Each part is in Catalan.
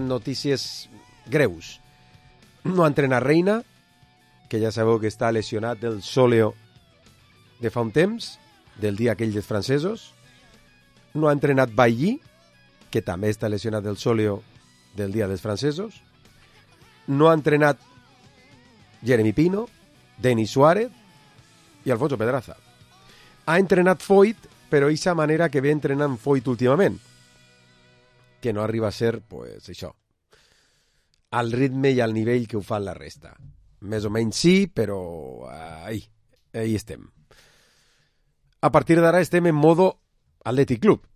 Notícies greus. No ha entrenat Reina, que ja sabeu que està lesionat del sòleo de fa un temps, del dia aquell dels francesos. No ha entrenat Bailly, que també està lesionat del sòleo del dia dels francesos. No ha entrenat Jeremy Pino, Denis Suárez i Alfonso Pedraza. Ha entrenat Foyt, però d'aquesta manera que ve entrenant Foyt últimament, que no arriba a ser, pues, això, al ritme i al nivell que ho fan la resta. Més o menys sí, però ahí estem. A partir d'ara estem en modo Athletic Club.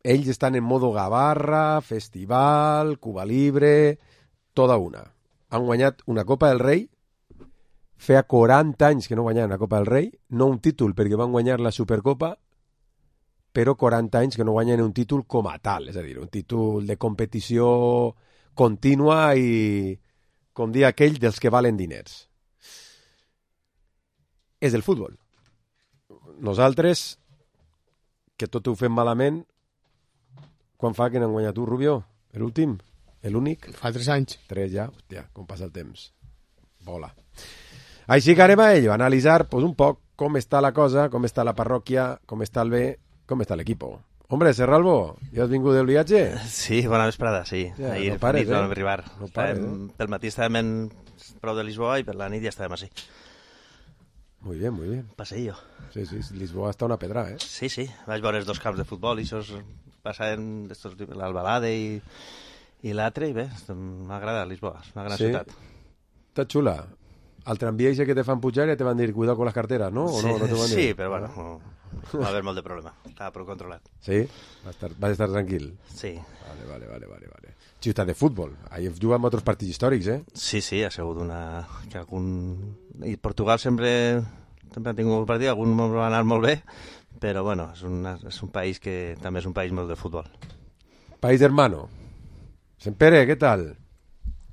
Ells estan en modo Gavarra, Festival, Cuba Libre, tota una. Han guanyat una Copa del Rei, feia 40 anys que no guanyaven una Copa del Rei, no un títol perquè van guanyar la Supercopa, però 40 anys que no guanyen un títol com a tal, és a dir, un títol de competició contínua i, com dir aquell, dels que valen diners. És el futbol. Nosaltres, que tot ho fem malament, quan fa que n'han guanyat tu, Rubio? L'últim? L'únic? Fa 3 anys. 3 ja? Hòstia, com passa el temps. Vola. Així que anem a ello, a analitzar pues, un poc com està la cosa, com està la parròquia, com està el bé, com està l'equip. Hombre, Serralbo, ja has vingut del viatge? Sí, bona vesprada, sí. Ja, ahir no pares, nit vam arribar. No pares, Pel matí estàvem prou de Lisboa i per la nit ja estàvem així. Muy bien, muy bien. Passeillo. Sí, Lisboa està una pedra, eh? Sí, vaig veure els 2 camps de futbol i això passaven l'Albalade i l'altre i bé, m'agrada Lisboa, és una gran ciutat. Està xula. Al tramvia que te fan pujar ja te van dir cuidado con las carteras, ¿no? ¿O no te van dir? Sí, però bueno, no va haver molt de problema. Estava prou controlat. Sí? Vas estar tranquil? Sí. Vale. Ciutat de futbol. Ahí juguen altres partits històrics, eh? Sí, ha sigut que algun... I Portugal sempre ha tingut un partit, algun va anar molt bé, però bueno, és un país que també és un país molt de futbol. País hermano. Sempere, què tal?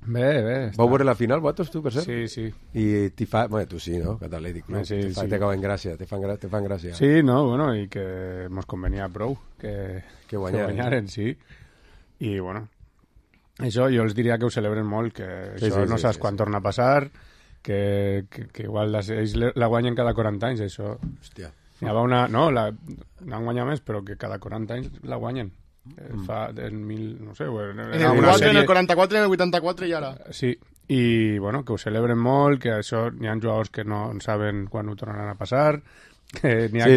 Bé. Vau veure la final, vosaltres, tu, per cert? Sí. I t'hi fa... Bueno, tu sí, no? Catàlètic, no? Sí. Te cauen gràcia, te fan gràcia. Sí, no, bueno, i que mos convenia prou que guanyaren, sí. I, bueno, això jo els diria que ho celebren molt, que això no saps quan torna a passar, que igual ells la guanyen cada 40 anys, això. Hòstia. N'hi havia una... No, n'han guanyat més, però que cada 40 anys la guanyen. Fa en no sé... En el 44, en el 84 i ara. Sí, i bueno, que ho celebren molt, que això n'hi ha jugadors que no saben quan ho tornaran a passar, que n'hi ha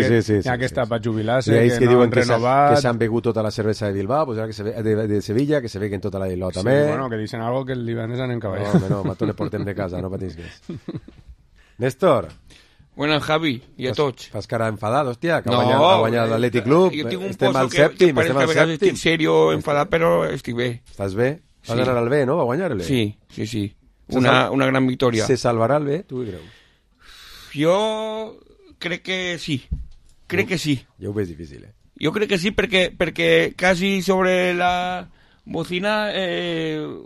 que està per jubilar-se, que no han renovat... Que s'han begut tota la cervesa de Bilbao, pues ara que de Sevilla, que se beguen tota la de Bilbao també. Sí, bueno, que dicen algo que el divendres anem cavallant. No, mato le portem de casa, no patisques. Néstor. Buenas, Javi, i a tots. Fas cara enfadat, hòstia, que ha guanyat l'Atlètic Club. Jo tinc un poso que parece que a vegades estic serio, enfadat, però estic bé. Estàs bé? Vas anar al bé, no? Va guanyar-le? Sí. Una gran victòria. Se salvarà el bé? Tu què creus? Jo crec que sí. Jo ho veig difícil, eh? Jo crec que sí, perquè quasi sobre la bocina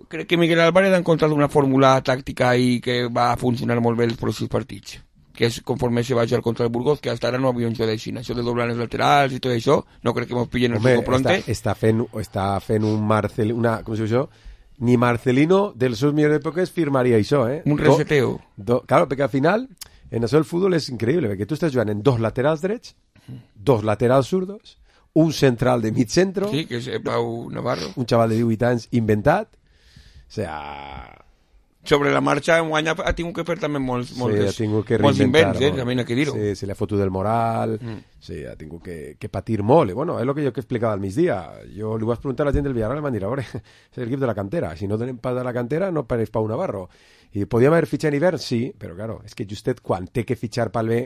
crec que Miguel Álvarez ha encontrat una fórmula tàctica i que va funcionar molt bé els pròxims partits, que és conforme se va jugar contra el Burgos, que hasta ara no havia un joc d'així, això de doblar els laterals i tot això, no crec que ens pillen el juego pronte. Està fent un Marcelino, com se diu això? Ni Marcelino dels seus millors èpoques firmaria això, eh? Un reseteo. Claro, perquè al final, en això el futbol és increïble, perquè tu estàs jugant en 2 laterals drets, 2 laterals zurdos, un central de mig centro... Sí, que és Pau Navarro. Un xaval de 18 anys inventat. O sea... Sobre la marxa, enguany ha tingut que fer també molts invents, també n'ha que dir-ho. Sí, se li ha fotut del moral, sí, ha tingut que patir molt. I bueno, és el que jo que explicava al migdia. Jo li vaig preguntar a la gent del Villarreal i m'han dit, a veure, és l'equip de la cantera. Si no tenem pas de la cantera, no pareix Pau Navarro. I podíem haver fitxat en hivern, sí, però claro, és que justet quan té que fitxar pel bé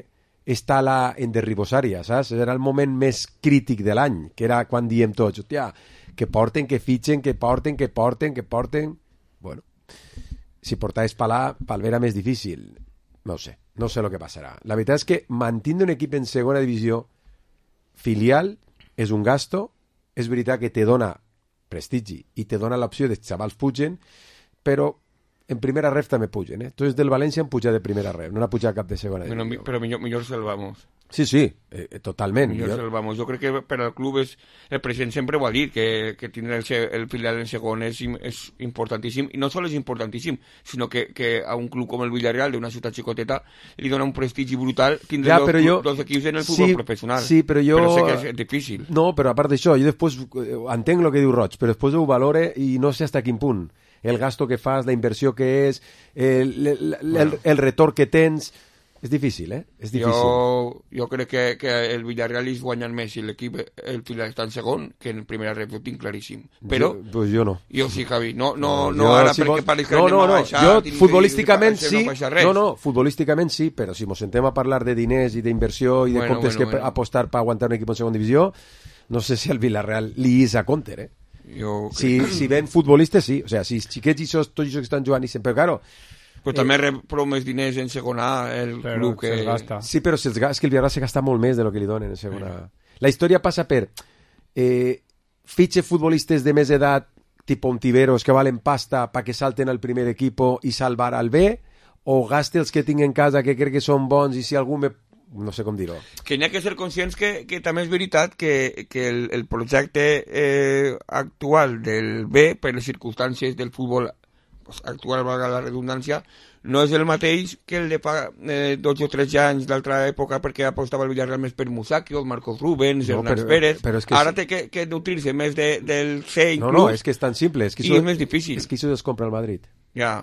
està en derribosària, saps? Era el moment més crític de l'any, que era quan diem tots, hòstia, que porten, que fitxen, que porten... Bueno... Si portaves pel bé era més difícil. No sé el que passarà. La veritat és que mantenir un equip en segona divisió filial és un gasto. És veritat que te dona prestigi i te dona l'opció de xavals pugen, però en primera ref també pugen, Tots del València han pujat de primera ref, no n'ha pujat cap de segona. Però millor salvamos. Sí, totalment. Millor salvamos. Jo crec que per al club el president sempre ho ha dit, que tindre el filial en segon és importantíssim, i no sols és importantíssim, sinó que a un club com el Villarreal, d'una ciutat xicoteta, li dona un prestigi brutal tindre dos equips en el futbol professional. Sí, però sé que és difícil. No, però a part d'això, jo després entenc el que diu Roig, però després ho valore i no sé fins a quin punt. El gasto que fas, la inversió que és, el retorn que tens... És difícil, És difícil. Jo crec que el Villarreal és guanyant més si l'equip, el filial està en segon, que en primera ref, ho tinc claríssim. Però... Pues jo no. Jo sí, Javi. No ara perquè pareix que anem a baixar. Jo futbolísticament sí. Futbolísticament sí, però si mos sentem a parlar de diners i d'inversió i de comptes que apostar per aguantar un equip en segona divisió, no sé si el Villarreal li és a compte, Si ven futbolistes, sí. O sea, si xiquets i tots els que estan jugant i sempre, claro... Però també rep prou més diners en segona el club que... Gasta. Sí, però és que el Villarreal se gasta molt més de lo que li donen en segona. La història passa per fitxe futbolistes de més edat, tipo Ontiveros, que valen pasta perquè salten al primer equipo i salvar al B, o gaste els que tinc en casa que crec que són bons i si algú me... No sé com dir-ho. Que n'hi ha que ser conscients que també és veritat que el projecte actual del B, per les circumstàncies del futbol actual, valga la redundància, no és el mateix que el de fa 12 o 13 anys d'altra època, perquè apostava el Villarreal més per Musacchio, Marcos Rubens, Hernán Pérez. Ara té que nutrir-se més del C inclús. No, és que és tan simple. I és més difícil. És que això es compra al Madrid. Ja.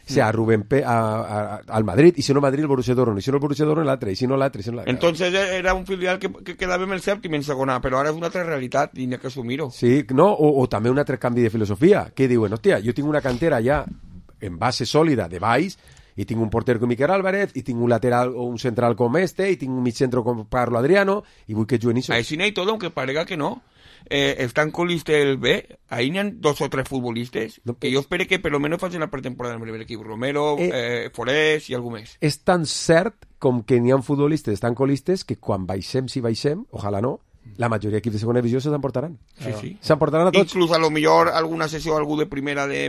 O sea, a Rubén al Madrid, y si no Madrid el Borussia Dortmund, y si no el Borussia Dortmund l'altre, y si no l'altre, Entonces era un filial que quedava en el sèptim en segona, però ara és una altra realitat i n'hi ha que assumir-ho. Sí, no, o també un altre canvi de filosofia, que diuen, hòstia, jo tinc una cantera ja en base sòlida de baix, i tinc un porter com Miquel Álvarez, i tinc un lateral o un central com i tinc un mig centro com Carlo Adriano, i vull que juguen això. Així n'hi ha tot, aunque parega que no. Están con el B, ahí n'hi ha 2 o 3 futbolistes que jo espero que per lo menos facin la pretemporada en el primer equip. Romero, Forés i algú més. És tan cert com que n'hi ha futbolistes tan colistes que quan baixem, si baixem, ojalà no, la majoria d'equips de segona divisió se s'emportaran. Sí. S'emportaran a tots. Inclús a lo millor alguna sessió algú de primera de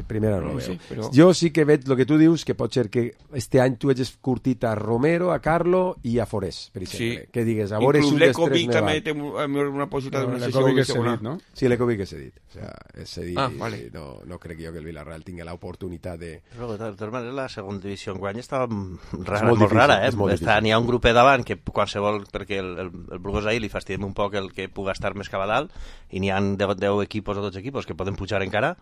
primera no veo. Però... Jo sí que veig el que tu dius, que pot ser que este any tu hagis curtit a Romero, a Carlo i a Forés, per exemple. Que digues, a veure inclús l'Ecovic també té una possibilitat d'una sessió de segona. No? Sí, l'Ecovic és cedit. O sea, és cedit. Vale. No crec jo que el Villarreal tingui l'oportunitat de... Però de totes maneres la segona divisió enguany estava molt rara, N'hi ha un grupet davant que qualsevol, perquè el Burgos ahir li fastidiem un poc el que puga estar més cap a dalt, i n'hi ha 10 equipos o 12 equipos que poden pujar encara,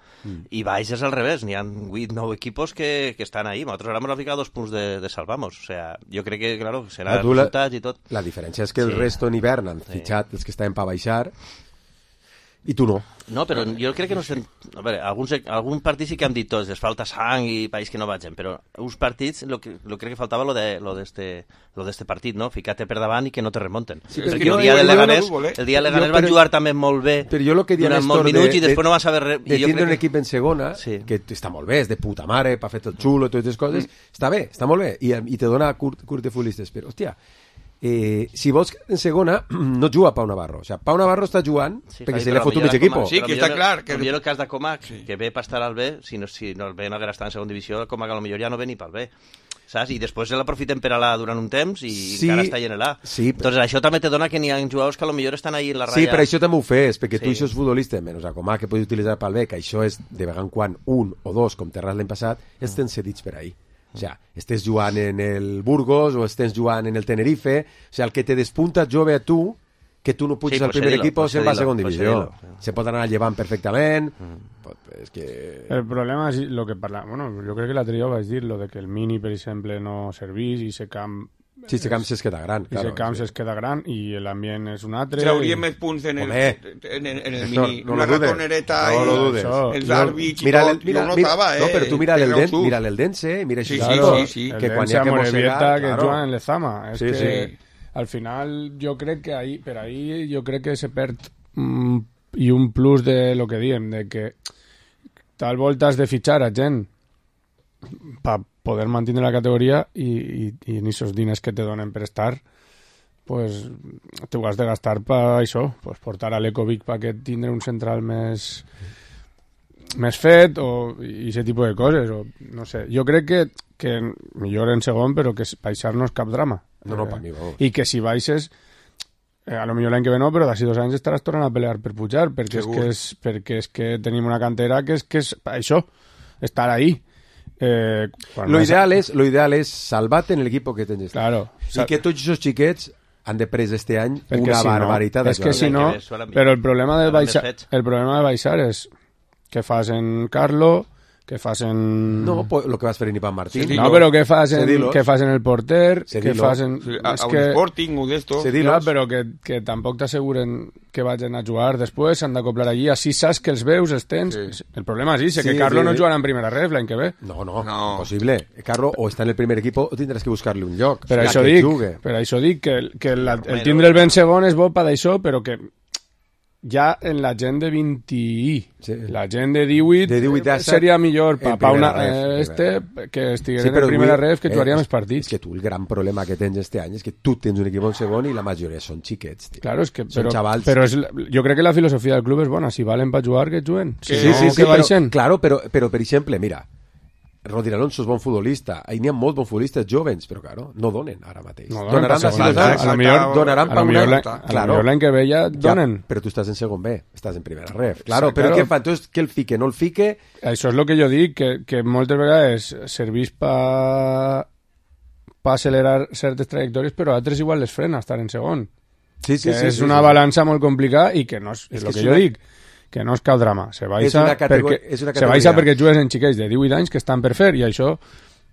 i baix és al revés, n'hi ha 8-9 equipos que estan ahí. Nosaltres ara hem ficat 2 punts de salvamos. O sea, jo crec que, claro, serà resultats i tot. La diferència és que el resto en hivern han fitxat els que estaven per baixar, i tu no. No, però jo crec que no sé... A veure, algun partit sí que han dit tots, les falta sang i país que no vagin, però uns partits lo crec que faltava lo d'este partit, no? Ficar-te per davant i que no te remonten. Sí, perquè el dia del Leganés van jugar també molt bé durant molts minuts i després no van saber res. De tindre un equip en segona, que està molt bé, és de puta mare, pa fer tot xulo, totes les coses, està bé, està molt bé, i te dona curt de futbolistes, però, hòstia, si vols en segona, no juga Pau Navarro. O sea, Pau Navarro està jugant perquè se li ha fotut mig equip. Sí, que està clar. Que el cas de Comac, que ve per estar al B, si no el B no haguera estat en segona divisió, Comac a lo millor ja no ve ni pel B. Saps? I després l'aprofiten per a l'A durant un temps i encara està en l'A. Sí, Entonces això també te dona que n'hi ha jugadors que a lo millor estan ahí en la ratlla. Sí, per això també ho fes, perquè tu això és futbolista, menys a Comac que pots utilitzar pel B, que això és de vegada en quan un o dos, com Terrats l'any passat, els tens cedits per ahí. O sea, estés jugant en el Burgos o estés jugant en el Tenerife, o sea, el que te despunta jove a tu, que tu no puges al primer equip o se'n va a segona divisió. Se pot anar llevant perfectament. És que... El problema és lo que parla... Bueno, jo crec que l'altre dia vaig dir lo de que el Mini, per exemple, no servís i se camp... Sí, se camp es queda gran. I se camp es queda gran i l'ambient és un altre. Trauríem més punts en el Mini. Una ratonereta i els àrbits i tot. Jo ho notava, No, però tu mira l'Eldense, mira això. Sí. Que quan hi ha que mossegar... que juguen en l'Ezama. És que al final jo crec que per ahí jo crec que se perd i un plus de lo que diem, de que tal volta has de fitxar a gent per poder mantenir la categoria i en esos diners que te donen per estar, pues te ho has de gastar per això, pues portar a l'Ecovic perquè tindre un central més més fet i aquest tipus de coses, o no sé. Jo crec que millor en segon, però que baixar no és cap drama. No, per mi, vamos. I que si baixes, a lo millor l'any que ve no, però d'ací 2 anys estaràs tornant a pelear per pujar, perquè és que tenim una cantera que és això, estar ahí. Lo ideal és salvar-te en l'equip que tens. Claro. I que tots els xiquets han de pres este any una barbaritat. És que si no, però el problema de baixar és què fas en Carlo, què fas en... No, el que vas fer en Iván Martín. No, però què fas en el porter, què fas en... A un Sporting o d'esto. Clar, però que tampoc t'asseguren que vagin a jugar després, s'han d'acoplar allí, així saps que els veus, els tens... Sí. El problema és que Carlo no jugarà en primera ref l'any que ve. No, impossible. Carlo o està en el primer equip o tindràs que buscar-li un lloc. Per això dic que el tindre el ben segon és bo per d'això, però que ja en la gent de 20 la gent de 18 seria millor que estigués en primera ref, que jugaria més partits. És que tu el gran problema que tens este any és que tu tens un equip en segon i la majoria són xiquets, tio. Claro, però jo crec que la filosofia del club és bona, si valen per jugar, que juguen. Sí, claro, però per exemple, mira, Rodri Alonso és bon futbolista, n'hi ha molts bons futbolistes jovens, però claro, no donen ara mateix. Donaran per un any. Claro, l'any que ve ja donen. Però tu estàs en segon B, estàs en primera ref. Claro, però què fa? Entonces, què el fique? No el fique? Això és el que jo dic, que moltes vegades serveix per accelerar certes trajectòries, però a altres igual les frena estar en segon. Sí, és una balança molt complicada i que no és el que jo dic, que no és cap drama. Se baixa perquè jugues en xiquets de 18 anys que estan per fer, i això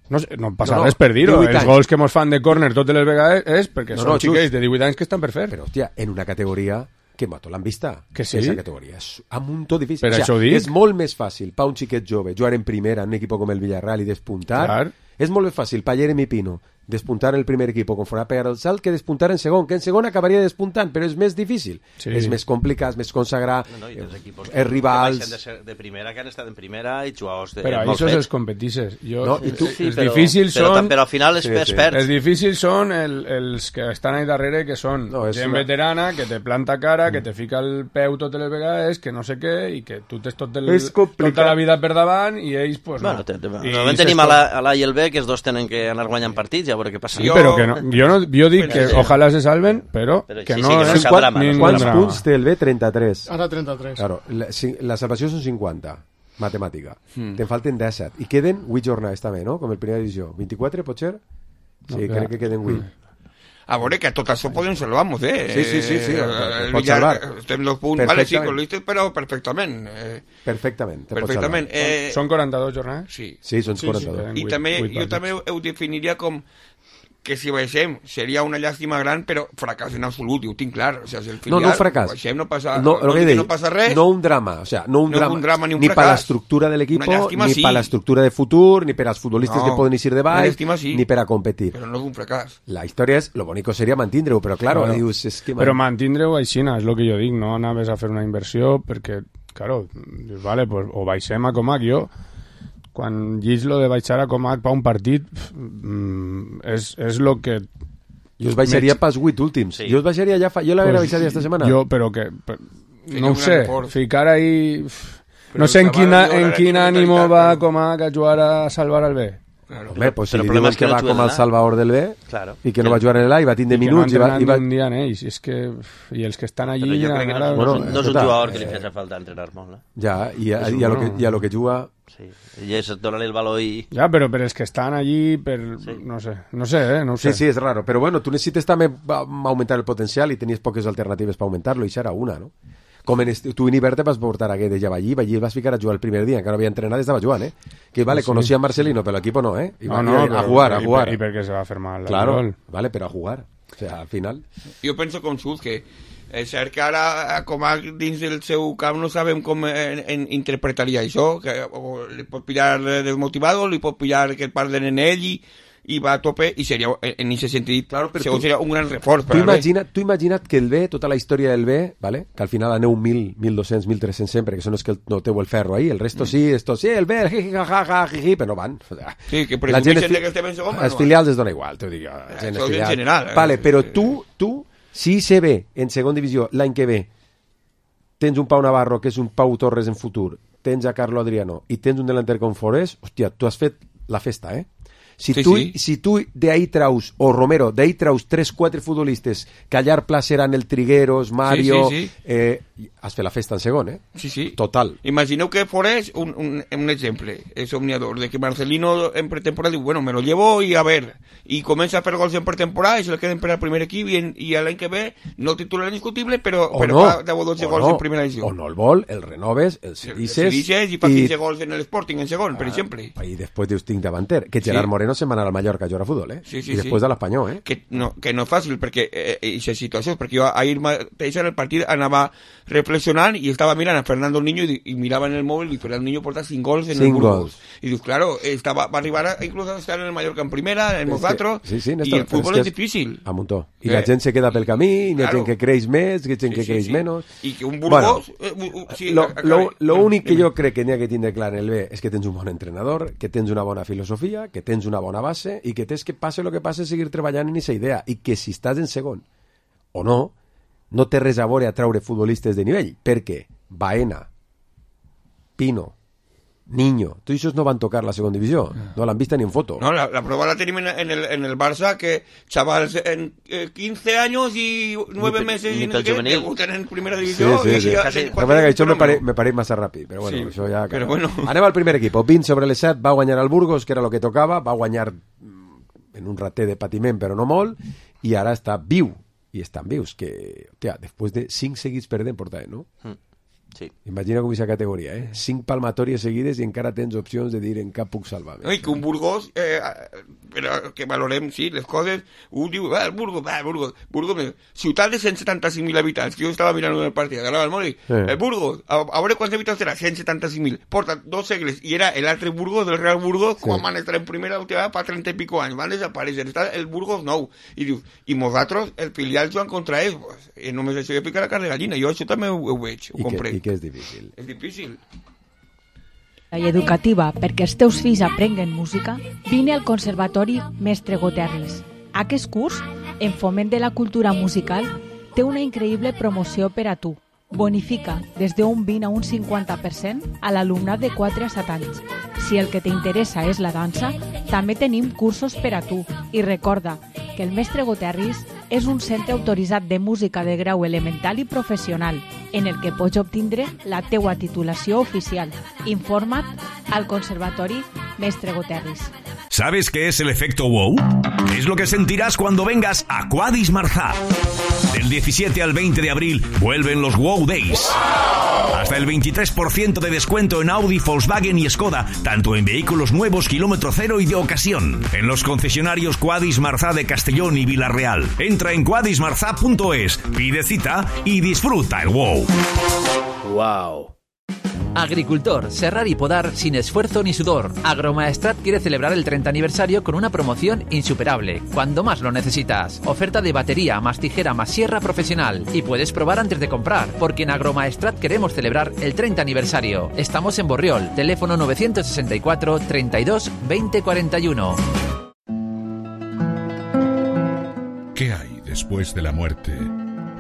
no passa res per dir-ho. Els gols que mos fan de córner totes les vegades és perquè són xiquets de 18 anys que estan per fer. Però, hòstia, en una categoria que mato l'han vista. Que sí. Aquesta categoria és un muntó difícil. Per això ho dic. És molt més fàcil per un xiquet jove jugar en primera en un equip com el Villarreal i despuntar. Clar. És molt més fàcil per Jeremy Pino despuntar en el primer equip conforme a pegar el salt que despuntar en segon, que en segon acabaria despuntant, però és més difícil. Sí. És més complicat, és més consagrar, els rivals... De primera que han estat en primera i jugadors de... Però això els competisses. Els difícils són... Però al final es perd. Els difícils són els que estan ahí darrere, que són gent veterana, que te planta cara, que te fica el peu totes les vegades, que no sé què, i que tu tens tota la vida per davant, i ells, pues no. Normalment tenim a l'A i el B, que els dos tenen que anar guanyant partits, ja veure què passa. Sí, però que no, jo dic que ojalà se salven, però que no és ningú drama. Quants punts té el B? 33. Ara 33. Claro, la salvació són 50, matemàtica. Te'n falten 17. I queden 8 jornades també, no? Com el primera divisió. 24, pot ser? Sí, crec que queden 8. A veure, que tot això podem salvar-nos, Sí. Pots salvar. Estem los punts, vale, sí, con listes, però perfectament. Perfectament. Són 42 jornades? Sí, són 42. I també, jo també ho definiria com que si baixem seria una llàstima gran, però fracàs en absolut, ho tinc clar. O sigui, si el filial, no fracàs. Baixem, no passa res. No un drama, o sea, no un drama ni per l'estructura de l'equip, ni per l'estructura de futur, ni per als futbolistes que poden eixir de baix, ni per a competir. Però no és un fracàs. La història és, lo bonico seria mantindre-ho, però claro, dius... Però mantindre-ho aixina, és el que jo dic, no anaves a fer una inversió, perquè, claro, dius, vale, pues, o baixem a Comac, jo... Quan llig lo de baixar a Comac per un partit és el que... Jo us baixaria pels 8 últims. Sí. Jo us baixaria ja jo l'haguera baixat esta setmana. Però que... No ho sé, ficar ahí... No sé en quin ànimo va Comac a jugar a salvar el B. Claro. Hombre, pues si li diuen que va com el salvador del B i que no va jugar en l'A i va tindre minuts i va un dia en ells, i els que estan allí... Però jo crec que no és un jugador que li fes falta entrenar molt. Ja, i a lo que juga... Sí, i és donar-li el valor i... Ja, però per els que estan allí, no sé. Sí, és raro, però bueno, tu necessites també augmentar el potencial i tenies poques alternatives per augmentar-lo, i això era una, no? Com tu en Iberte vas portar aquest de Javallí el vas ficar a jugar el primer dia, encara no havia entrenat, estava jugant, que vale, conocía a Marcelino, pero el equipo no, y va a jugar. Y porque se va a hacer mal. Claro, vale, pero a jugar. O sea, al final... Jo penso com Sud, que és cert que ara Comac dins del seu camp no sabem com interpretaria això, que li pot pillar desmotivado, li pot pillar que parlen en ell i va a tope, i seria en aquest sentit, claro, seria un gran reforç. Tu imagina't que el B, tota la història del B, ¿vale? Que al final aneu 1.000, 1.200, 1.300 sempre, que són els que no teu el ferro ahí, el resto sí, esto sí, el B, jiji, però no van. Sí, que presumeixen que estem en segon, els filials es dona igual, t'ho dic jo. Això en general. Vale, però tu, si se ve en segon divisió l'any que ve, tens un Pau Navarro que és un Pau Torres en futur, tens a Carlo Adriano i tens un delanter com Forés, hòstia, tu has fet la festa, eh? Si tu d'ahir traus, o Romero, d'ahir traus 3-4 futbolistes que a llarg plaç seran el Trigueros, Mario, has fet la festa en segon, eh? Sí. Total. Imagineu que Forés, un exemple, és omniador, de que Marcelino en pretemporada diu, bueno, me lo llevo y a ver, y comença a fer gols en pretemporada i se le queden per al primer equip i l'any que ve no titular indiscutible, però fa 10 o 12 gols en primera edició. O no el vol, el renoves, el cedisses i fa 15 gols en l'Sporting en segon, per exemple. I després dius, tinc davanter, que Gerard Moreno se'n va anar al Mallorca a jugar a futbol, eh? I després de l'Espanyol, eh? Que no és fàcil, perquè aquesta situació, perquè jo ahir mateix en el partit anava reflexionant i estava mirant a Fernando Niño i mirava en el mòbil i Fernando Niño porta 5 gols en el Burgos. I dius, claro, va arribar inclús a estar en el Mallorca en primera, en Mozatro, i el futbol és difícil. A muntó. I la gent se queda pel camí, hi ha gent que creix més, hi ha gent que creix menys. I que un Burgos... Lo únic que jo crec que n'hi ha que tindre clar en el B és que tens un bon entrenador, que tens una bona filosofia, que tens una bona base i que tens que passe el que passe seguir treballant en aquesta idea i que si estàs en segon o no té res a veure a traure futbolistes de nivell, perquè Baena, Pino, Niño, tots aquests no van tocar la segona divisió, no l'han vist ni en foto. No, la prova la tenim en el Barça, que chavals en 15 anys i 9 mesos i debuten en primera divisió. Sí. Això me pareix massa ràpid, però bueno, això ja... Però bueno. Anem al primer equip, 20 sobre les 7, va guanyar el Burgos, que era el que tocava, va guanyar en un rater de patiment, però no molt, i ara està viu, i estan vius, que, hòstia, després de 5 seguits perdent portaven, no? Sí. Imagina com és la categoria, 5 palmatòries seguides i encara tens opcions de dir en cap puc salvar-me. I que un Burgos, que valorem, sí, les coses, un diu, el Burgos, ciutat de 175.000 habitants, que jo estava mirant el partit, agarrava el mòbil, el Burgos, a veure quants habitants serà, 175.000, porta 2 segles, i era l'altre Burgos, del Real Burgos, quan van estar en primera última fa 30 i pico anys, van desaparèixer, està el Burgos nou, i dius, i nosaltres, el filial jugant contra ells, pues, només això ja pica la carn de gallina, jo això també ho veig, ho compré. I que és difícil. És difícil. I educativa perquè els teus fills aprenguen música, vine al Conservatori Mestre Goterris. Aquest curs, en foment de la cultura musical, té una increïble promoció per a tu. Bonifica des d'un 20 a un 50% a l'alumnat de 4 a 7 anys. Si el que t'interessa és la dansa, també tenim cursos per a tu. I recorda que el Mestre Goterris és un centre autoritzat de música de grau elemental i professional, en el que pots obtindre la teua titulació oficial. Informa't al Conservatori Mestre Goterris. ¿Sabes qué es el efecto wow? Es lo que sentirás cuando vengas a Quadis Marzá. Del 17 al 20 de abril vuelven los Wow Days. Hasta el 23% de descuento en Audi, Volkswagen y Skoda, tanto en vehículos nuevos, kilómetro cero y de ocasión. En los concesionarios Quadis Marzá de Castellón y Villarreal. Entra en quadismarzá.es, pide cita y disfruta el wow. Wow. Agricultor, serrar y podar sin esfuerzo ni sudor. Agromaestrat quiere celebrar el 30 aniversario con una promoción insuperable, cuando más lo necesitas. Oferta de batería, más tijera, más sierra profesional. Y puedes probar antes de comprar, porque en Agromaestrat queremos celebrar el 30 aniversario. Estamos en Borriol, teléfono 964 32 20 41. ¿Qué hay después de la muerte?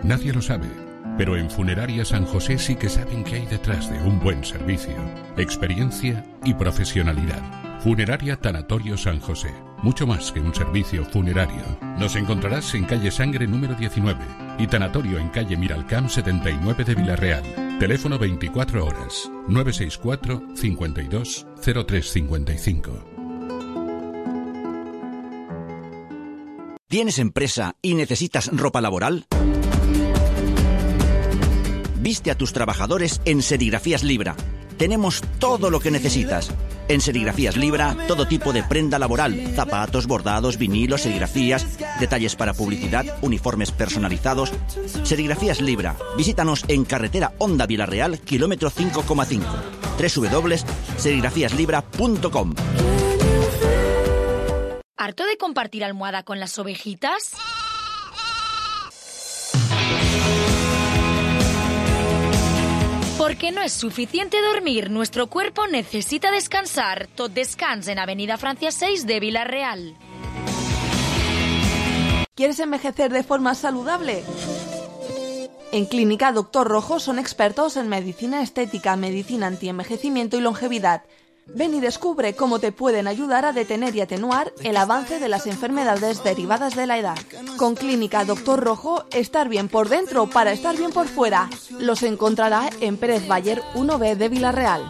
Nadie lo sabe. Pero en Funeraria San José sí que saben qué hay detrás de un buen servicio, experiencia y profesionalidad. Funeraria Tanatorio San José. Mucho más que un servicio funerario. Nos encontrarás en calle Sangre número 19 y Tanatorio en calle Miralcamp 79 de Villarreal. Teléfono 24 horas 964 52 0355. ¿Tienes empresa y necesitas ropa laboral? Viste a tus trabajadores en Serigrafías Libra. Tenemos todo lo que necesitas. En Serigrafías Libra, todo tipo de prenda laboral, zapatos, bordados, vinilos, serigrafías, detalles para publicidad, uniformes personalizados. Serigrafías Libra. Visítanos en carretera Honda Villarreal, kilómetro 5,5. www.serigrafíaslibra.com. ¿Harto de compartir almohada con las ovejitas? Porque no es suficiente dormir, nuestro cuerpo necesita descansar. Tot Descans en Avenida Francia 6 de Villarreal. ¿Quieres envejecer de forma saludable? En Clínica Doctor Rojo son expertos en medicina estética, medicina antienvejecimiento y longevidad. Ven y descubre cómo te pueden ayudar a detener y atenuar el avance de las enfermedades derivadas de la edad. Con Clínica Doctor Rojo, estar bien por dentro para estar bien por fuera. Los encontrará en Pérez Bayer 1B de Villarreal.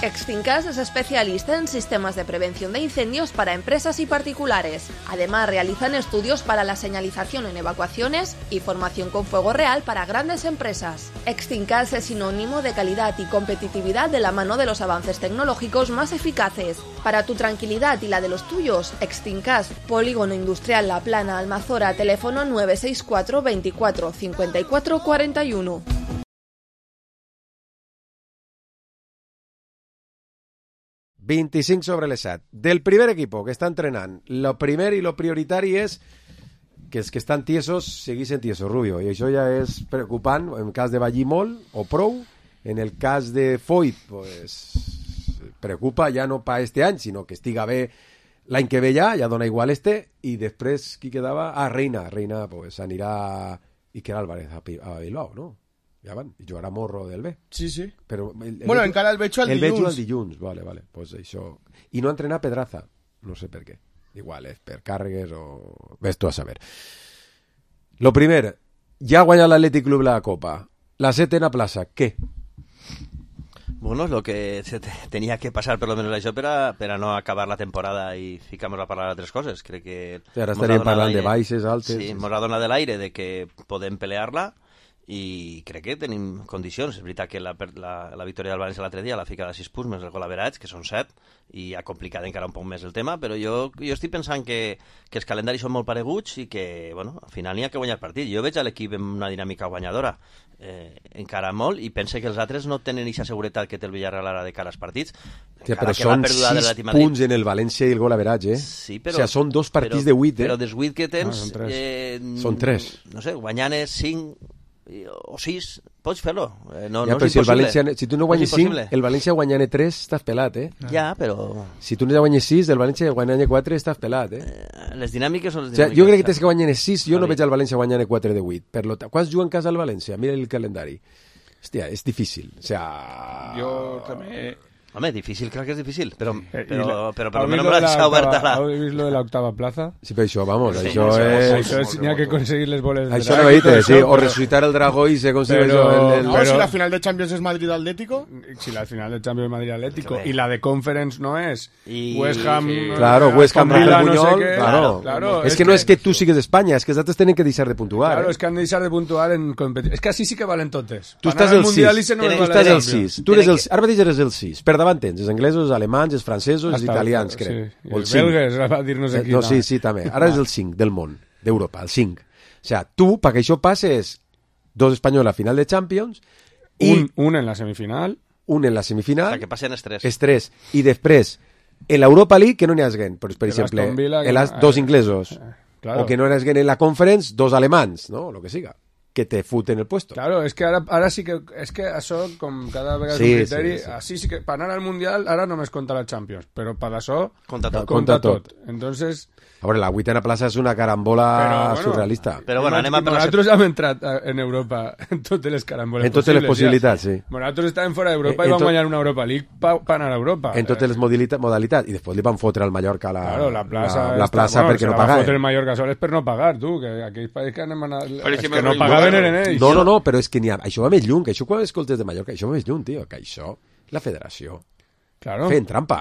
Extincas es especialista en sistemas de prevención de incendios para empresas y particulares. Además, realizan estudios para la señalización en evacuaciones y formación con fuego real para grandes empresas. Extincas es sinónimo de calidad y competitividad de la mano de los avances tecnológicos más eficaces. Para tu tranquilidad y la de los tuyos, Extincas, Polígono Industrial La Plana, Almazora, teléfono 964 24 54 41. ...25/7. Del primer equipo que està entrenant, lo primer i lo prioritari és que els que estan tiesos seguissin tiesos, Rubio, i això ja és preocupant en cas de ballir molt o prou. En el cas de Foyt, pues, preocupa ja no pa este any, sinó que estiga bé l'any que ve ja dona igual i després qui quedava? Reina pues anirà Iker Álvarez a Bilbao, no? Ja van, i jugarà Morro del B. Sí. Però bueno, encara el veig al dilluns. El veig al dilluns, vale. Pues això. I no entrenar Pedraza, no sé per què. Igual és per càrregues o... Ves tu a saber. Lo primer, ja ha guanyat l'Atlètic Club la Copa. La setena plaça, què? Bueno, lo que tenía que pasar per lo menos això per a no acabar la temporada i ficar-nos a parlar d'altres coses. Crec que... Sí, ara estaríem parlant de baixes, altes... Sí, mos ha donat de l'aire de que podem pelear-la i crec que tenim condicions. És veritat que la victòria del València l'altre dia la fica de 6 punts més el gol average, que són 7, i ha complicat encara un poc més el tema, però jo estic pensant que els calendaris són molt pareguts i que, bueno, al final n'hi ha que guanyar el partit. Jo veig a l'equip amb una dinàmica guanyadora encara molt, i pense que els altres no tenen aquesta seguretat que té el Villarreal ara de cara als partits. Sí, però són 6 punts en el València i el gol average, Sí, però... O sigui, són 2 partits de 8, Però dels 8 que tens... Són 3. No sé, guanyant 5... o 6, pots fer-lo. No ja, és si impossible. Si tu no guanyes 5, el València guanyant 3 estàs pelat, Ja, però... Si tu no guanyes 6, el València guanyant 4 estàs pelat, Les dinàmiques són les dinàmiques. O sigui, jo crec que tens que guanyar 6, jo no veig el València guanyant 4 de 8. Quants juguen en casa al València? Mira el calendari. Hòstia, és difícil. O sea... Jo també... Home, difícil, crec que és difícil, però per lo menos me l'ha oberta la... ¿Has visto lo de la octava plaza? Sí, però això, vamos, sí, això és... N'hi ha que conseguir les boles de això no veite, sí, o resucitar el dragó i se consigue això. No, si la final de Champions és Madrid-Atlético. Si la final de Champions es Madrid-Atlético y la de Conference no es West Ham... Claro, West Ham, Rafael Buñol, claro. Es que no es que tú sigues España, es que els altres tenen que deixar de puntuar. Claro, es que han de deixar de puntuar en competició. És que així sí que valen totes. Tu estàs el 6, tu estàs el 6. Ara mateix eres el 6. Per davant tens els anglesos, els alemanys, els francesos, els italians, crec. Sí. I els belgues, va dir-nos aquí. No, sí, també. Ara és el 5 del món, d'Europa, el 5. O sigui, tu, perquè això passes 2 espanyols a final de Champions i... Un en la semifinal. Un en la semifinal. O sigui, que passen els 3. Els 3. I després, en l'Europa League, que no n'hi haguen, per exemple, dos inglesos. Claro. O que no n'hi haguen en la Conference, 2 alemans, no? Lo que siga. Que te futen el puesto. Claro, es que ara sí que... És que això, com cada vegada és un criteri, així sí que... Per anar al Mundial, ara només compta la Champions, però per això... Compta tot. Entonces... A veure, la 8ª plaça és una carambola surrealista. Però bueno, anem a per nosaltres hem entrat en Europa en totes les caramboles en totes les possibilitats, sí. Nosaltres estàvem fora d'Europa i vam guanyar una Europa League per anar a Europa. En totes les modalitats. I després li van fotre al Mallorca la plaça perquè no pagaven. La fotre el Mallorca sol és per no pagar, tu, que aquells països que anem a anar... que no pagaven eren ells. No, però és que això va més lluny, que això quan escoltes de Mallorca, això va més lluny, tio, que això, la federació, fent trampa.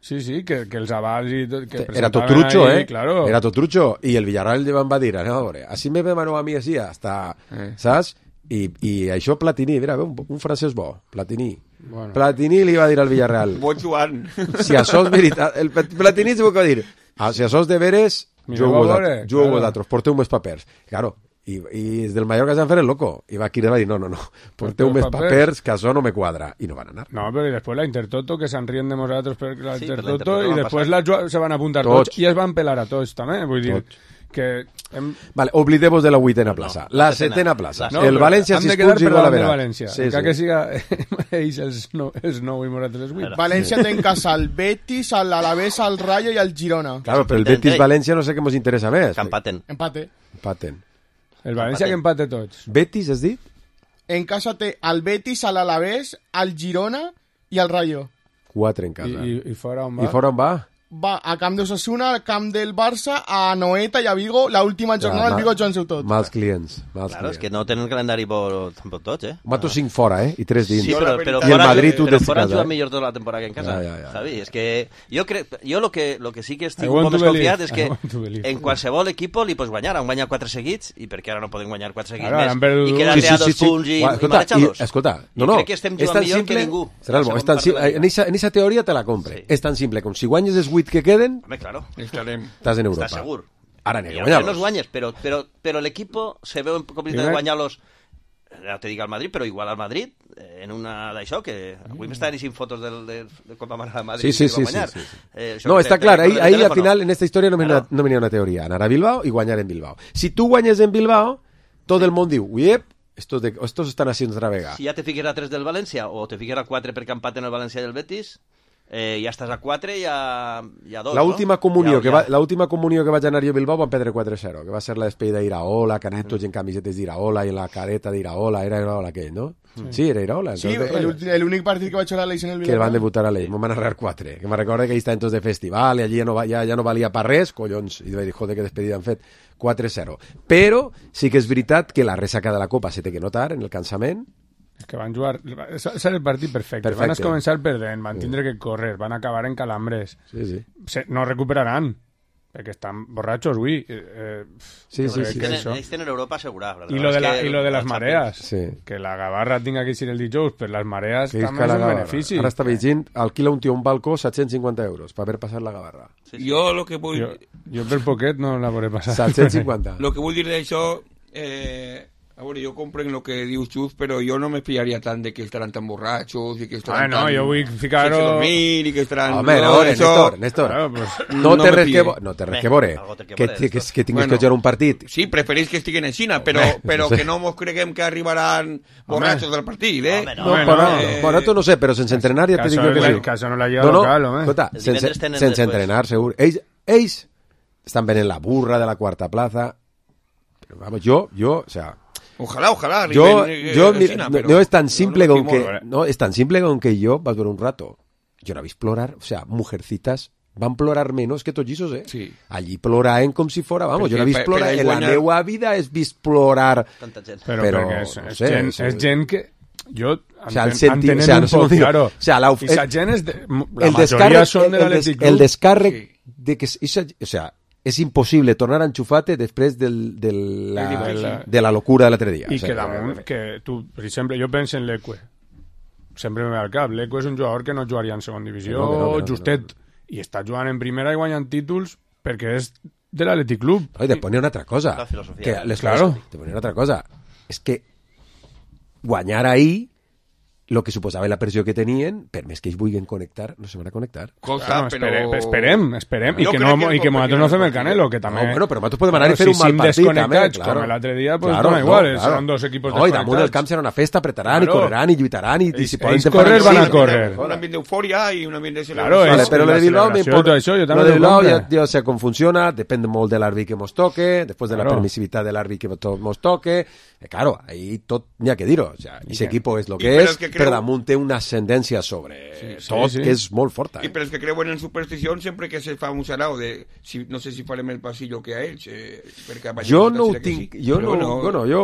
Sí, que els avals i tot... Era tot trucho, claro. Era tot trucho. I el Villarreal li van dir, a veure, així me demano a mi així, hasta, saps? I això Platini, mira, un francès bo, Platini. Bueno. Platini li va dir al Villarreal. Bon Joan. Si això és veritat, el Platini s'ho va dir, si això és de veres, jugo vosaltres, porteu més papers. Claro, i des del Mallorca s'han fet el loco i va aquí i va dir no, porteu més papers que això no me quadra i no van anar. No, però després la Intertoto que se'n rien de nosaltres per la Intertoto i després se van apuntar tots i es van pelar a tots també, vull dir Vale, oblidemos de la 8ª plaça. La 7ª plaça. No, el València, si es quedar per la València. Sí, que siga ells els 9 i nosaltres els 8. València té en casa el Betis, l'Alavés, el Rayo i el Girona. Claro, però el Betis-València no sé què ens interessa més. Que empaten. Empaten. El València que empate tots. Betis, has dit? En casa té el Betis, l'Alavés, el Girona i el Rayo. 4 en casa. I fora on va? I fora on va? Va a camp d'Osasuna, al camp del Barça, a Noeta i a Vigo, l'última jornada el Vigo Joan Seu tot. Mals clients. Claro, és que no tenen calendari tampoc tots, Mato 5 fora, i 3 dins. Sí, però I el Madrid tu des fora juga millor tota la temporada que en casa. Javi, és que jo lo que sí que estic molt més confiat és que en qualsevol equip li pots guanyar. Han guanyat 4 seguits, i perquè ara no poden guanyar 4 seguits més, i quedar-te a 2 punts i marejar-los. Escolta, no. Crec que estem jugant millor que ningú. En aquesta teoria te la compre. És tan simple com si guanyes els 8 que queden. Claro. Estás en Europa. Estás seguro. Ahora no los guanyes, pero el equipo se ve en posibilitat de guanyar-los, no te diga al Madrid, pero igual al Madrid, en una d'això, que avui m'estaven dient fotos del Copa Mare de Madrid. Sí. No, està clar, ahí al final en esta historia no venía una teoría. Anar a Bilbao y guanyar en Bilbao. Si tú guanyes en Bilbao, todo el món diu, uiep, estos están haciendo otra vega. Si ja te fiques a 3 del València, o te fiques a 4 perquè empaten el València i el Betis, ja estàs a 4 i a 2, l'última comunió que vaig anar jo a Bilbao van perdre 4-0, que va ser la despedida d'Iraola, que anem tots en camisetes d'Iraola i en la careta d'Iraola, era Iraola aquell, no? Sí, era Iraola. Sí, l'únic partit que vaig jugar a l'Eix en el Bilbao. Que van debutar a l'Eix, me'n van narrar 4, que me'n recordo que ahí estaven tots de festival i allí ja no valia per res, collons, i vaig dir, joder, que despedida han fet, 4-0. Però sí que és veritat que la ressaca de la Copa se té que notar en el cansament. És que van jugar... És el partit perfecte. Van començar perdent, van tindre que córrer, van acabar en calambres. Sí. No recuperaran, perquè estan borratxos, avui. Sí. Ells tenen Europa assegurada. I lo de les marees. Que la Gavarra tinga que ser el dijous, per les marees també és un benefici. Ara està veient, alquila un tio un balcó 750 euros per haver passat la Gavarra. Jo lo que vull... Jo per poquet no la veuré passar. 750. Lo que vull dir d'això... A veure, jo comprenc el que dius, Xus, però jo no m'espiaria tant de que estaran tan borratxos i que estaran tan... jo vull ficar-ho... sense dormir i que estaran... Home, Néstor, no té res que veure que tinguis que jugar un partit. Sí, preferís que estiguen en Xina, però que no mos creguem que arribaran borratxos del partit, Bueno, tu no sé, però sense entrenar ja te dic que sí. Que això no la lleva local, home. Escolta, sense entrenar, segur. Ells estan venent la burra de la quarta plaza, però vamos, jo, o sea... Ojalá. No es tan simple con que yo vaig veure un rato. Yo no vi plorar, o sea, mujercitas van plorar menos que tots lliços, Sí. Allí ploraven com si fora, vamos, jo no he vist plorar, en la meua vida he vist plorar. Però és gent que... Jo entenent un poc, claro. O sea, la majoria són de l'Atlètic Club. El descàrrec de que... O sea... és impossible tornar a enxufar-te després de la locura de l'altre dia. I que damunt, que tu, per exemple, jo penso en l'Eque. Sempre me ve al cap. L'Eque és un jugador que no jugaria en segona divisió, justet, i està jugant en primera i guanyant títols perquè és de l'Atlètic Club. I després n'hi ha una altra cosa. Una altra cosa. És que guanyar ahí lo que suposava la pressió que tenien, per més que ells vulguin connectar, no se van a connectar. Esperem. I que nosaltres no fem el Canelo, que també... No, però nosaltres podem anar i fer un mal partit, també. Com l'altre dia, pues dona igual, són dos equipos desconnectats. I damunt del camp serà una festa, apretaran i correran i lluitaran i si poden... Ells correr van a córrer. Un ambient d'eufòria i un ambient de celebració. Claro, però lo de Bilbao lo de Bilbao ja sé com funciona, depèn molt de l'àrbit que mos toque, després de la permissivitat de l'àrbit que mos toque. Claro, ahí tot n'hi ha que dir-ho. Ese equipo és lo que és, però damunt té una ascendència sobre tot que és molt forta. I per els que creuen en superstició, sempre que se fa un sarau de no sé si farem el passillo que a ells, jo no ho tinc, jo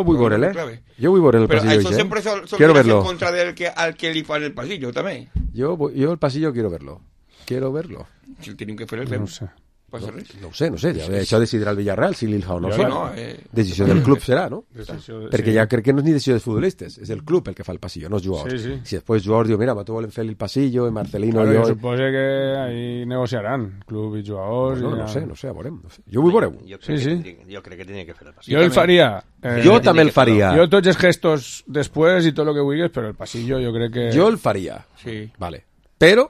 vull veure-le, jo vull veure el passillo. Però això sempre són en contra al que li fan el passillo, també. Jo el passillo quiero verlo. Si el tenim que fer el fem. Passa res? No ho sé, això decidirà el Villarreal si l'Ilha o no fa. Decisió del club serà, no? Perquè ja crec que no és ni decisió dels futbolistes, és el club el que fa el passillo, no els jugadors. Si després els jugadors diuen, mira, tu volen fer el passillo, i Marcelino i jo... Jo suposo que ahí negociaran, club i jugadors... No sé, veurem. Jo vull veure-ho. Jo crec que tenia que fer el passillo. Jo el faria. Jo també el faria. Jo tots els gestos després i tot el que vulguis, però el passillo jo crec que... Jo el faria. Sí. Vale. Però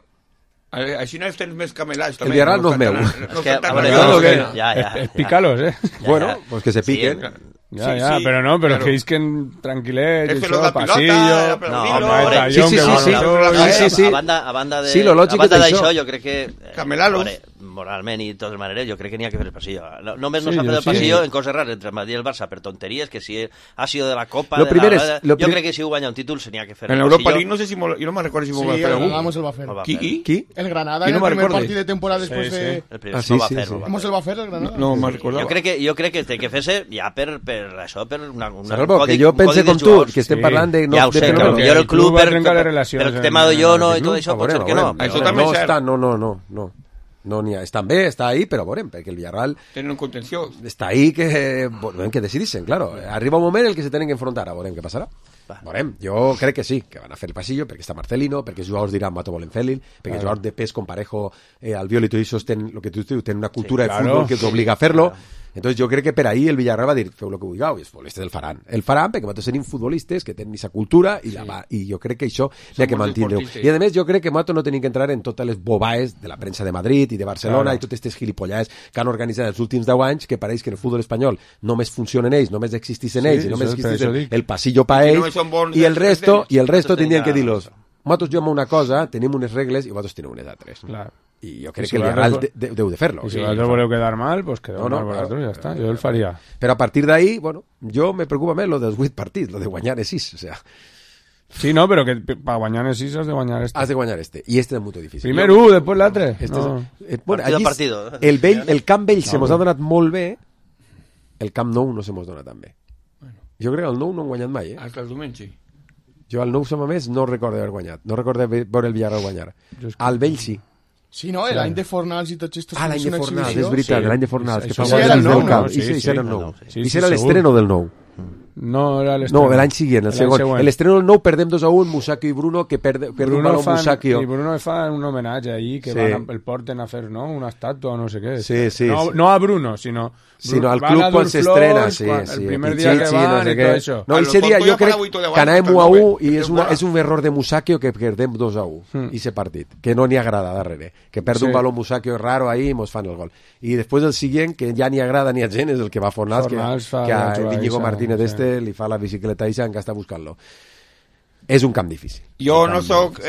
Així no tens més camelats. El Villarreal no és meu. És picalos, Bueno, pues que se piquen. Ja, però no, però que isquen tranquil·lets, això, passillo... Sí. A banda d'això, jo crec que... Camelalos. Moralment i de totes maneres, jo crec que n'hi ha que fer el passillo. Només no s'ha fet el passillo en coses rares entre el Madrid i el Barça per tonteries, que si ha sido de la Copa... Jo crec que si ho guanya un títol se n'hi ha que fer el passillo. En Europa League no sé si... Jo no me'n recordo si m'ho va fer algú. Sí, el Granada el va fer. Qui? El Granada en el primer partit de temporada després de... Sí. ¿Cómo se el va fer, el Granada? No me'n recordava. Jo crec que té que fer-se ja per això, per Salvo, que jo pense com tu, que estem parlant de... Ja ho sé, que jo el club per el tema de Llono i tot això pot ser que no. Això també és cert. No n'hi ha. Estan bé, està ahí, però veurem, perquè el Villarreal... Tenen un contenció. Està ahí que decidissin, claro. Arriba un moment en el que se tenen que enfrontar, a veurem què passarà. Veurem, jo crec que sí, que van a fer el passillo, perquè està Marcelino, perquè els jugadors diran Mato volen fer-li, perquè els jugadors de pes com Parejo, Albiol i tot això tenen, lo que tu dius, tenen una cultura de futbol que t'obliga a fer-lo. Entonces jo crec que per ahí el Villarreal va dir feu el que vulgueu, i els futbolistes el faran perquè nosaltres tenim futbolistes que tenen aquesta cultura i jo crec que això n'hi ha que mantindre. I a més jo crec que nosaltres no tenim que entrar en totes les bobaes de la premsa de Madrid i de Barcelona i totes aquestes gilipollades que han organitzat els últims 10 anys, que pareix que en el futbol espanyol només funcionen ells, només existissin ells i només existissin el passillo pa ells i el resto tindrien que dir-los nosaltres juguem una cosa, tenim unes regles i vosaltres tenim unes altres. I jo crec que el Villarreal deu de fer-lo. I si vosaltres voleu quedar mal, pues quedeu mal vosaltres, ja està. Jo el faria. Però a partir d'ahí, bueno, jo me preocupa més lo dels 8 partits, lo de guanyar 6, o sea... Sí, no, però que per guanyar 6 has de guanyar este. Has de guanyar este, i este és molt difícil. Primer després l'altre. El Camp Vell se mos ha donat molt bé, el Camp Nou no se mos dona tan bé. Jo crec que el Nou no han guanyat mai, Hasta el diumenge. Jo al Nou som a més no recordo haver guanyat, no recordo veure el Villarreal guanyar. Al Vell sí. Sí, no? L'any de Fornals i tots estos... l'any de Fornals, és veritat, l'any de Fornals. Sí, era el Nou. Sí, era el Nou. I era l'estreno del Nou. No, era l'estreno. No, l'any siguient, el segon. L'estreno del Nou perdem 2-1, Musacchio i Bruno, que perd un baló Musacchio. I Bruno fa un homenatge ahí, que el porten a fer, no?, una estàtua o no sé què. Sí. No a Bruno, sinó al club quan s'estrena, el primer dia que van i tot això. No, ese dia jo crec que anàvem 1-1 i és un error de Musacchio que perdem 2-1, ese partit, que no n'hi agrada darrere, que perd un baló Musacchio raro ahí i mos fan el gol. I després el següent, que ja ni agrada ni a gent, és el que va Fornals, que a Íñigo Martínez li fa la bicicleta i que està buscant-lo. És un camp difícil. Jo no soc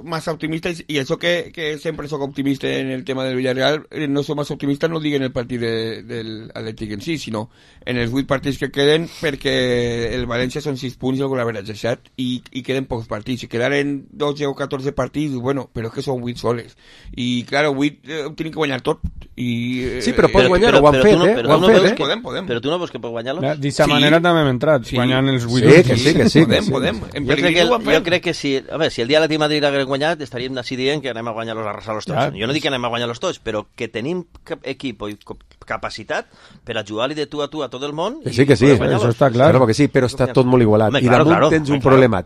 massa optimista, i això que sempre soc optimista en el tema del Villarreal, no soc massa optimista, no dic en el partit del Atlètic en si, sinó en els 8 partits que queden, perquè el València són 6 punts i el Golaveratge 7, i queden pocs partits. Si quedaren 12 o 14 partits, bueno, però és que són 8 soles. I, clar, 8 ho tenen que guanyar tot. Sí, però pots guanyar, ho han fet, Podem. Però tu no veus que pots guanyar-lo? D'aquesta manera també hem entrat, guanyant els 8. Sí. Podem. Jo crec que si el dia de l'Atlètic Madrid hagués guanyat, estaríem així dient que anem a guanyar-los, a arrasar-los tots. Jo no dic que anem a guanyar-los tots, però que tenim equip i capacitat per a jugar-li de tu a tot el món. Sí, això està clar. Claro que sí, però està tot molt igualat. I damunt tens un problema.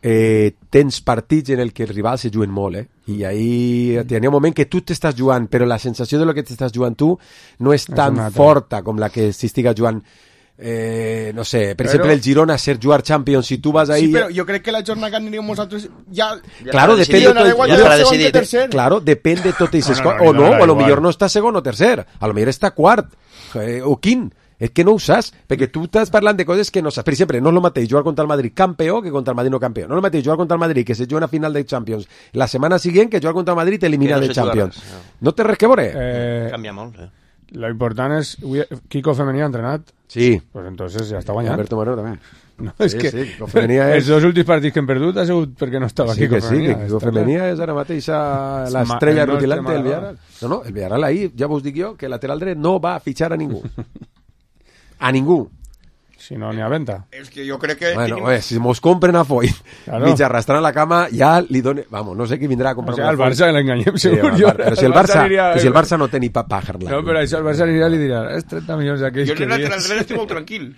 Tens partits en el que els rivals se juguen molt, i ahí hi ha un moment que tu t'estàs jugant, però la sensació de lo que t'estàs jugant tu no és tan forta com la que s'estiga jugant. No sé, per exemple el Girona ser jugar Champions, si tu vas ahí... Sí, però jo crec que la jornada que aniríem nosaltres ja... Claro, depèn de tot això. O no, o a lo millor no està segon o tercer, a lo millor està quart o quint. És que no ho saps, perquè tu estàs parlant de coses que no saps. Per exemple, no és el mateix jugar contra el Madrid campió que contra el Madrid no campió. No és el mateix jugar contra el Madrid que se juga una final de Champions la setmana següent que jugar contra el Madrid eliminat de Champions. No té res que veure. Canvia molt, Lo important és... Kiko Femení ha entrenat? Sí. Pues entonces ja està guanyant. Alberto Moreno també. No, és que els 2 últims partits que hem perdut ha sigut perquè no estava Kiko Femení. Sí, que Kiko Femení és ara mateix l'estrella rutilante del Villarreal. No, el Villarreal ahí, ja vos dic jo, que el lateral dret no va a fitxar a ningú. A ningú. Si no n'hi ha venta. És que jo crec que... Bueno, si mos compren a Foy, mig arrastrant a la cama, ja li done... Vamos, no sé qui vindrà a comprar una Foy. El Barça l'enganyem, segur. Però si el Barça no té ni pa pagar-la. No, però això el Barça anirà i li dirà, és 30 milions d'aquells que dies. Jo en el lateral dret estic molt tranquil.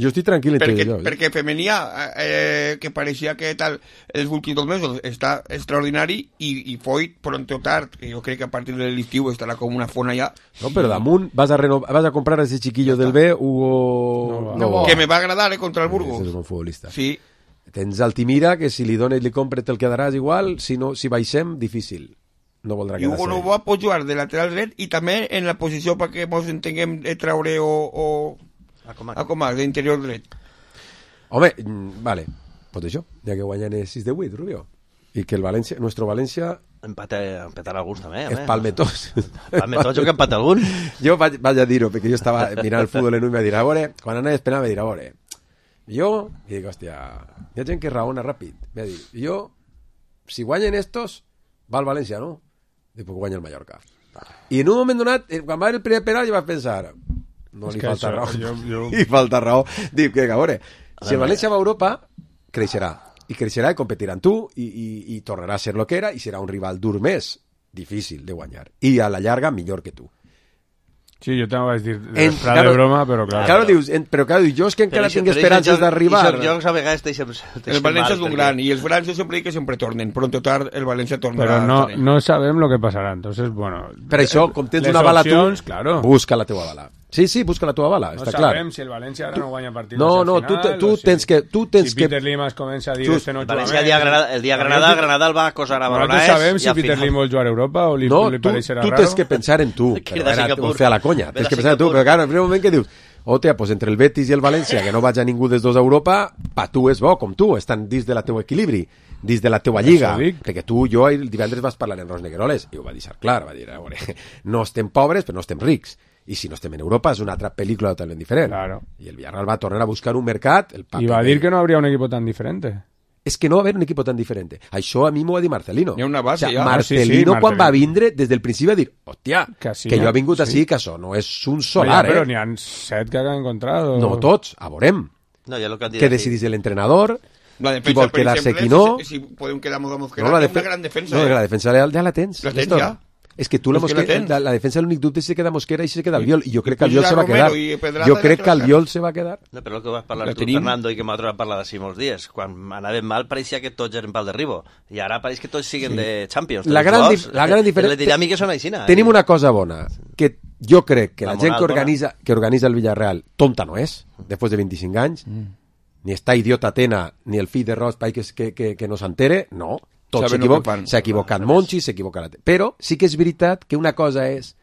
Jo estic tranquil perquè Femenia, que pareixia que tal els últims 2 mesos està extraordinari, i Foy pronto o tard, que jo crec que a partir de l'estiu estarà com una fona ja. No, però damunt vas a comprar a ese chiquillo del B, Hugo... Que me va agradar contra el Burgos. Ese és un futbolista. Sí. Tens Altimira, que si li dones li compres te'l quedaràs igual, si baixem, difícil. No voldrà quedar-se. I Hugo Novoa pot jugar de lateral dret i també en la posició perquè ens entenguem de Traoré o a Comac, d'interior dret. Home, vale, pues això, ja que guanyen 6-8, Rubio. I que el València, nuestro València... Empatar alguns també. Es palmetós. Palmetós, jo que empata algun. Jo vaig a dir-ho, perquè jo estava mirant el futbol en un i me dir, a veure, quan anava a esperar me dir, a veure, jo, i dic, hòstia, hi ha gent que raona ràpid. Me dir, jo, si guanyen estos, va al València, no? Dic, pues guanya el Mallorca. I en un moment donat, quan va haver el primer penal, jo vaig pensar, no li falta raó. Li falta raó. Dic, que a veure, si el València va a Europa, creixerà. I creixerà i competirà amb tu i tornarà a ser lo que era i serà un rival dur més difícil de guanyar i a la llarga millor que tu. Sí, yo tengo que decir de broma, pero claro. Claro, dius, però claro, jo és que encara tinc esperances d'arribar. El València és un gran i els França sempre dic que sempre tornen, pronto tard el València tornarà. Pero no sabem lo que pasarà, entonces, bueno... Per això, com tens una bala tu, claro. Busca la teua bala. Sí, busca la teva bala, no està clar. No sabem si el València ara no guanya partits al final. Tu tens que... Si Peter Lim es comença a dir este no juega bé... El dia Granada el va acosar a Barcelona. No sabem si Peter Lim vol jugar a Europa o li pareixerà raro. No, tu tens que pensar en tu. Però fer a la conya. Tens que pensar en tu, però claro, en el primer moment que dius hòstia, pues entre el Betis i el València, que no vaig a ningú dels dos a Europa, pa tu és bo, com tu, estan dins de la teu equilibri, dins de la teua lliga, perquè jo el divendres vas parlar en Ros Negueroles, i ho va deixar clar, va dir, a veure, no estem pobres, però no estem rics, i si no estem en Europa és una altra pel·lícula totalment diferent. Claro. I el Villarreal va tornar a buscar un mercat... I va dir que no habría un equipo tan diferente. És que no va haver un equip tan diferent. Això a mi m'ho va dir Marcelino. Hi ha una base, ja. Marcelino, quan va vindre, des del principi va dir, hòstia, que jo he vingut així, que això no és un solar, Però n'hi ha 7 que han encontrat. No tots, a veurem. Que decidís l'entrenador, qui vol quedar-se, qui no. Si podem quedar amb Mosquera, una gran defensa. No, la defensa ja la tens. La tens ja. És que tu la defensa l'únic dubte és si se queda Mosquera i si se queda Albiol, i jo crec que Albiol se va quedar. Jo crec que Albiol se va quedar. No, però el que vas parlar tu, Fernando, i que m'altres vam parlar d'ací molts dies, quan anàvem mal pareixia que tots eren pal derribo, i ara pareix que tots siguen de Champions. La gran diferència... Les dinàmiques són així. Tenim una cosa bona, que jo crec que la gent que organitza el Villarreal tonta no és, després de 25 anys, ni està idiota Tena, ni el fill de Ross que no s'entere, no. S'ha equivocat Monchi, s'ha equivocat... Però sí que és veritat que una cosa és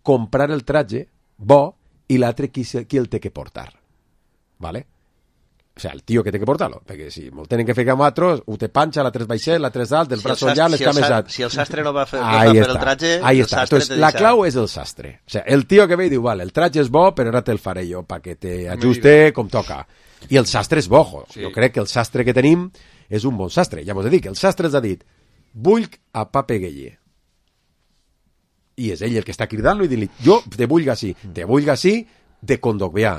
comprar el traje bo i l'altre qui el té que portar. ¿Vale? O sea, el tío que té que portar-lo. Perquè si molt tenen que fer com altres, ho té panxa, l'altre és baixet, l'altre és alt, el braç llarg, les cames alt. Si el sastre no va fer el traje, el sastre te deixa. La clau és el sastre. O sea, el tío que ve i diu, vale, el traje és bo, però ara te'l faré jo perquè te ajuste com toca. I el sastre és bo. Jo crec que el sastre que tenim és un bon sastre. Ja m'ho he dit, que el sastre ens ha dit vull a Pape Gueye. I és ell el que està cridant-lo i dir-li, jo te vull així de Condogbià,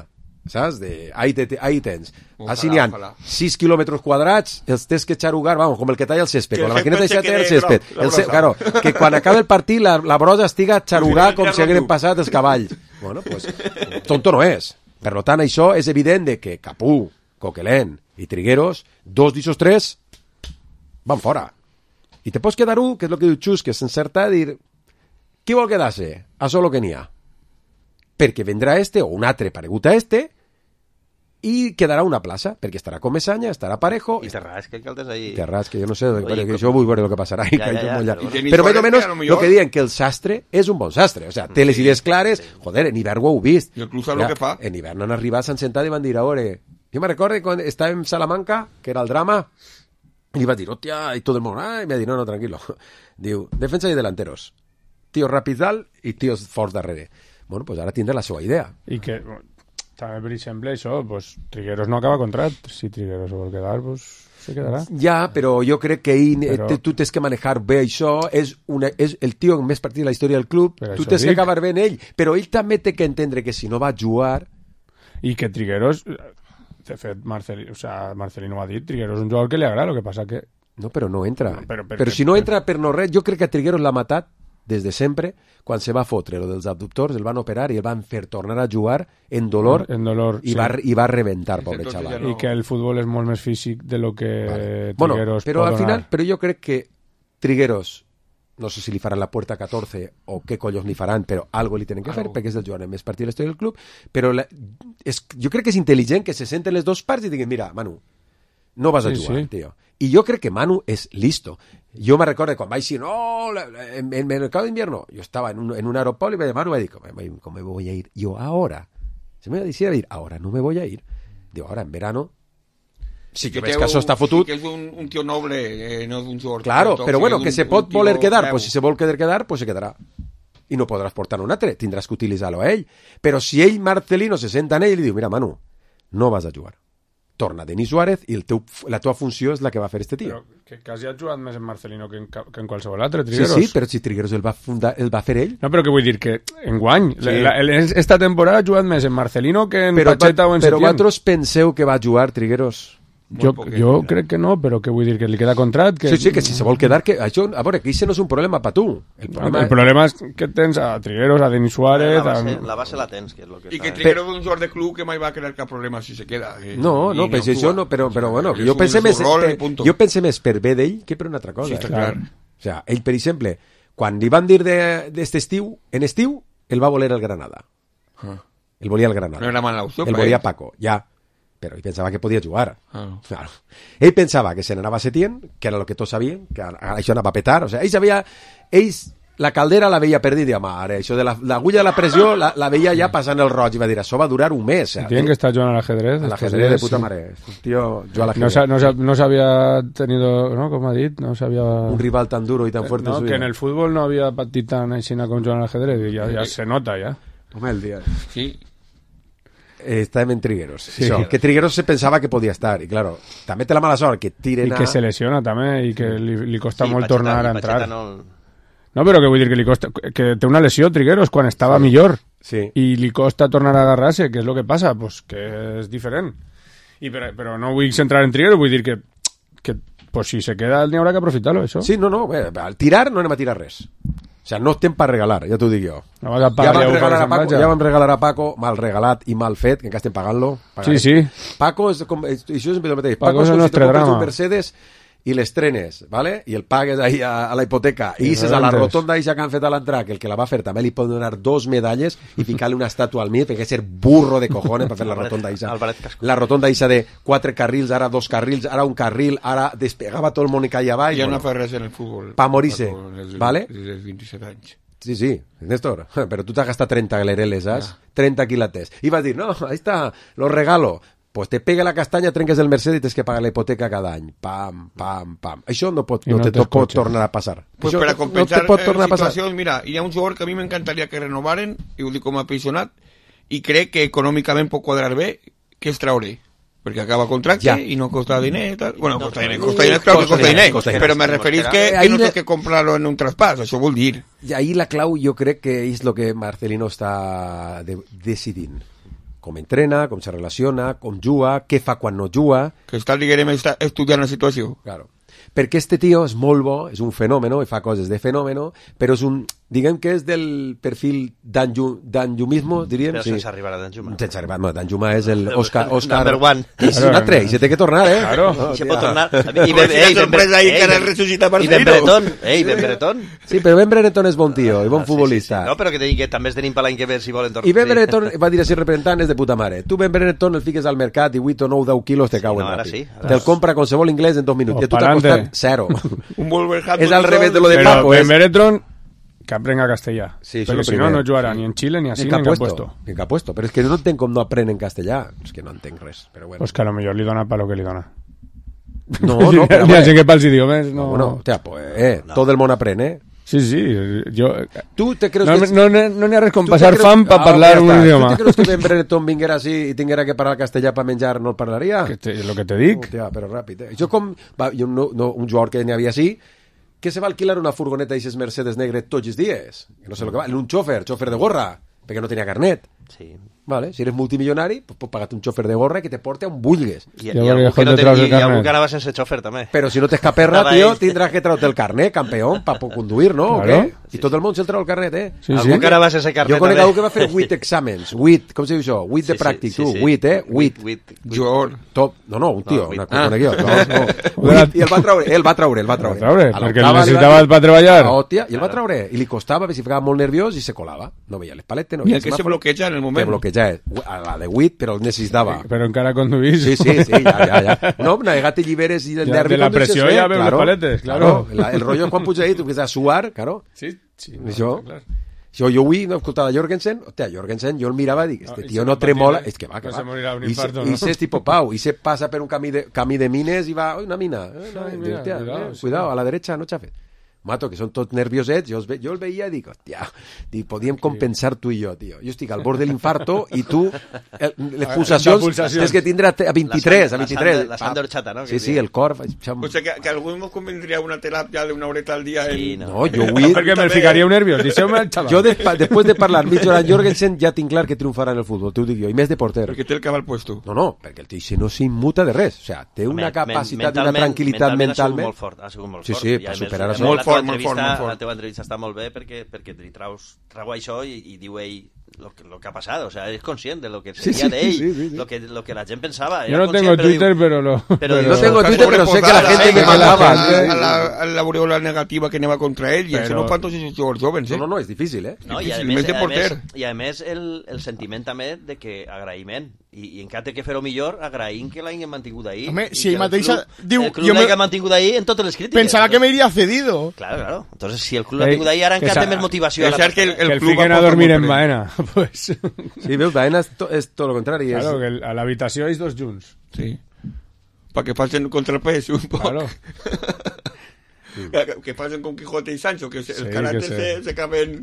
saps? Ahí tens. Així n'hi ha 6 quilòmetres quadrats, els tens que xarugar, vamos, com el que talla el césped, con la maquineta de xater el césped. Claro, que quan acabe el partit la brosa estiga xarugar com si hagueren passat els cavalls. Bueno, pues, tonto no és. Per tant, això és evident de que Capú, Coquelin i Trigueros, 2 d'ixos 3 van fora. I te pots quedar un, que és el que diu Xus, que s'encerta a dir qui vol quedar-se? Això és el que n'hi ha. Perquè vendrà o un altre paregut a i quedarà una plaça, perquè estarà com Mesanya, estarà Parejo... I Terrats, que altes ahí... Terrats, que jo no sé, que jo vull veure el que passarà. Però més o menys, el que diuen que el sastre és un bon sastre. O sea, té les idees clares, joder, en hivern ho heu vist. I el club sap el que fa. En hivern han arribat, s'han sentat i van dir, a veure... Jo me recordo quan estàvem en Salamanca, que era el drama, i va dir, hòstia, i tot el món, i me va dir, no, tranquilo. Diu, defensa i delanteros. Tíos ràpids dalt i tíos forts darrere. Bueno, pues ara tindrà la seva idea. I que, també per exemple, això, pues, Trigueros no acaba contrat. Si Trigueros vol quedar, pues, se quedarà. Ja, però jo crec que tu tens que manejar bé això. És el tio amb més partit de la història del club. Tu tens que acabar bé en ell. Però ell també té que entendre que si no va jugar... I que Trigueros... De fet, Marcelino ha dit, Trigueros és un jugador que li agrada, el que passa que... No, però no entra. Però si no entra per no res, jo crec que Trigueros l'ha matat des de sempre, quan se va fotre lo dels abductors, el van operar i el van fer tornar a jugar en dolor i va rebentar, pobre xaval. I que el futbol és molt més físic de lo que Trigueros bueno, però pot al final, donar. però jo crec que Trigueros, no sé si li faran la puerta 14 o què collons li faran, però algo li tenen que fer, perquè és el jugador més partit de l'història del club, però jo crec que és intel·ligent que se senten les dues parts i diguin, mira, Manu, no vas a jugar, tio. I jo crec que Manu és listo. Jo me recordo quan vaig dir, en el mercado de invierno, yo estaba en un aeropuerto y Manu me dijo, ¿cómo me voy a ir yo ahora? Se me decía ir, ahora no me voy a ir. Digo, ahora en verano, sí que ves que això està fotut. Sí que és un tio noble, no és un jugador. Claro, però bueno, que se pot voler quedar, pues si se vol quedar, pues se quedarà. I no podràs portar un altre, tindràs que utilitzar-lo a ell. Però si ell, Marcelino, se senta en ell i li diu, mira, Manu, no vas a jugar. Torna Denis Suárez i la teva funció és la que va fer este tio. Però que quasi ha jugat més en Marcelino que en qualsevol altre, Trigueros. Sí, però si Trigueros el va fer ell. No, però que vull dir que enguany, esta temporada ha jugat més en Marcelino que en Pacheta o en Setién. Però vosaltres penseu que va jugar Trigueros? Jo crec que no, però que vull dir que li queda contrat. Sí, que si se vol quedar... Això, a veure, que això no és un problema per tu. El problema és que tens a Trigueros, a Denis Suárez... La base la tens, que és lo que... I que Trigueros és un jugador de club que mai va crear cap problema si se queda. No, pues això no, però bueno, jo pense més per bé d'ell que per una altra cosa. Sí, clar. O sigui, ell, per exemple, quan li van dir d'este estiu, en estiu, el va voler el Granada. El volia el Granada. No era mala opció. El volia Paco, ja. Però ell pensava que podia jugar. Claro. Ell pensava que se n'anava a Setién, que era el que tots sabíem, que això anava a petar. O sigui, la caldera la veia perdida, mare. Això de l'agulla de la pressió la veia ja passant el roig i va dir, això va durar un mes. Setién, que està jugant a l'ajedrez. A l'ajedrez de puta mare. Tío, jo a l'ajedrez. No s'havia tenido, ¿no? Com ha dit, no s'havia... Un rival tan duro i tan fuerte. No, que en el fútbol no havia patit tan aixina com jugant a l'ajedrez. Ja se nota, ja. Home, el dia. Sí. Estàvem en Trigueros. Sí. Això, que Trigueros se pensava que podia estar. I, claro, també té la mala sort que tiren I que se lesiona, també, i que li costa molt tornar a entrar. No, però que vull dir que li costa... Que té una lesió, Trigueros, quan estava millor. Sí. I li costa tornar a agarrar-se. Què és el que passa? Pues que és diferent. Però no vull centrar en Trigueros, vull dir que pues, si se queda, n'hi haurà que aprofitar-lo, això. Sí, no, al tirar no anem a tirar res. O sea, no estem per regalar, ja t'ho dic jo. No vas a pagar, ja vam regalar a Paco, mal regalat i mal fet, que encara estem pagant-lo. Sí. Paco és com... Això és el mateix. Paco és com si te compres un Mercedes i l'estrenes, ¿vale? I el pagues ahí a la hipoteca. I dices a la rotonda que han fet a l'entrar, que el que la va fer també li pot donar 2 medalles i ficar-li una estàtua al mig, perquè és ser burro de cojones per fer la rotonda Isa. La rotonda Isa de 4 carrils, ara 2 carrils, ara un carril, ara despegava tot el món i caia avall. Ja no fa res en el futbol. Pa morir-se, ¿vale? Des dels 27 anys. Sí, Néstor, pero tú te has gastado 30 galereles, ¿sabes? 30 quilates. Y vas a decir, no, ahí está, lo regalo. Pues te pega la castaña, trenques el Mercedes i tens que pagar la hipoteca cada any. Pam. Això no pot tornar a passar. Pues això per a compensar situacions, mira, hi ha un jugador que a mi m'encantaria que renovaren, i ho dic com a aficionat, i crec que econòmicament pot quadrar bé, que és Traoré. Perquè acaba contracte i no costa diner. Tal. Bueno, costa diner, claro que costa diner. Però me referís que no tens que comprar-lo en un traspàs, això vol dir. I ahí la clau jo crec que és el que Marcelino està decidint. Com entrena, com se relaciona, com juga, què fa quan no juga... Que està, diguem, estudiant la situació. Claro. Perquè este tio és molt bo, és un fenòmeno, i fa coses de fenòmeno, però és un... Diguem que és del perfil d'Anjumismo, diríem. Però sense arribar a Danjuma. Sense arribar, no, Danjuma és el Oscar... Number one. És un altre, i se té que tornar, eh? Claro. I se pot tornar. I Ben Bretón. Ben Bretón. Sí, però Ben Bretón és bon tio, i bon futbolista. No, però que te digui que també es tenim per l'any que ve si volen tornar. I Ben Bretón va dir així representant, és de puta mare. Tu Ben Bretón el fiques al mercat i 8 o 9 10 quilos te cauen ràpid. Te'l compra qualsevol inglès en 2 minuts. I a tu t'ha costat 0. És al revés de lo de Paco. Ben Bretón que aprenga castellà. Sí, però si no, no jugarà ni en Xile, ni així, ni en cap puesto. Ni en cap puesto. Però és que no entenc com no aprenen castellà. És que no entenc res. Però bueno. Pues que a lo millor li dona pa lo que li dona. No, però... Ni així que pels idiomes, no... Bueno, tia, pues, tot el món aprèn, eh? Sí, jo... Tu te creus no n'hi ha res com passar fam per parlar un idioma. Tu te creus que Ben Bretón vinguera així i tinguera que parlar castellà per menjar, no el parlaria? És lo que te dic. Tia, però ràpid, eh? Això com... Un jugador que n'hi havia així, que se va alquilar una furgoneta i Mercedes negre tots els dies. Que no sé lo que va. Un xòfer de gorra, perquè no tenia carnet. Sí. Vale, si eres multimilionari, pues pots pagar un xòfer de gorra que te porte on vulguis. I algú que anava sense xòfer, també. Però si no t'és caperra, tio, tindràs que treure el carnet, campeón, per conduir, no? Claro. I tot el món se'l treu el carnet, eh? Sí, algú que anava sense carnet. Jo conec algú que va fer 8 exàmens. 8, com se diu això? 8 de pràctic, tu. 8, eh? 8. Jo. No, un tio, una conec jo. I el va treure. Perquè el necessitava per treballar. I el va treure. I li costava, si ficava molt nerviós i se colava. No veia les paletes. I el que se bloqueja en el moment. ja és a la de 8, però el necessitava. Però encara conduís. Sí, ja. No, navegat i lliberes i del nervi. De la pressió ja veus les paletes, claro. El rollo quan puja ahí, tu empiezas a suar, claro. Sí, això. Jo avui escoltava Jorgensen, Jorgensen, jo el mirava i dic, este tio no tremola, és que va. Se morirà un infarto, no? I és tipo Pau, i se passa per un camí de mines i va, una mina, cuidado, a la derecha no xafes. Mato, que són tots nerviosets, jo el veia i dic, hòstia, podíem compensar tu i jo, tio. Jo estic al bord de l'infarto i tu, les pulsacions tens que tindre a 23, a 23. La sang d'orxata, no? Sí, el cor... O sigui, que algú ens convindria una teràpia d'una horeta al dia. No, jo avui... Perquè me ficaria nerviós, deixeu-me el xaval. Jo, després de parlar mitja hora amb Jorgensen, ja tinc clar que triomfarà en el futbol, t'ho dic jo, i més de porter. Perquè té el cabal puesto. No, perquè el tio no s'immuta de res. O sigui, té una capacitat, una tranquil·litat mentalment. Ha sigut molt fort. Sí, per superar això. Molt fort. La teva entrevista està molt bé perquè li trau això i diu ell lo que ha passat, o sea, és conscient de lo que seria d'ell, lo que la gent pensava. Yo no tengo Twitter, pero no tengo Twitter, pero sé que la gente me mandava a la aureola negativa que anava contra ell, i això no fan tots els jugadors jovens, No, és difícil, No, i a més el sentiment també de que agraïment, i encara té que fer-ho millor agraïm que l'hagin mantingut ahí. Home, si ell mateix diu... El club l'ha mantingut ahí en totes les crítiques. Pensava que m'hauria cedido. Claro. Entonces, si el club l'ha tingut ahí, ara encara té més motivació. Que el fiquen a dormir en Baena, pues... Sí, veus, Baena és tot el contrari. Claro, que a l'habitació és dos junts. Sí. Perquè facin contrapès un poc. Claro. Que facin con Quijote y Sancho, que els caràcters se caben...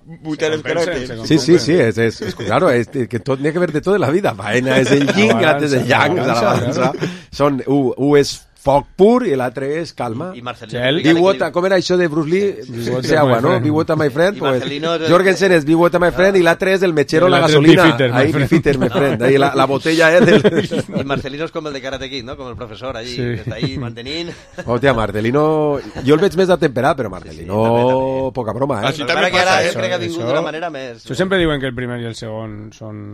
Buitar els caràcters. Sí, és claro, que tot n'hi ha que ver de tot en la vida. Baena és el yin, l'altre és el yang, la balança. Un és foc pur i l'altre és calma. I Marcelino. Com era això de Bruce Lee? Agua, no? Be water, my friend. Jorgensen és Be water, my friend, i l'altre és el mechero, la gasolina. Ahí, Bifitter, my friend. Ahí la botella és del... I Marcelino és com el de Karate Kid, no? Com el professor allí, que està ahí mantenint... Hòstia, Marcelino... Jo el veig més atemperat, però Marcelino... Poca broma, Així també passa, crec que ha vingut d'una manera més... Això sempre diuen que el primer i el segon són...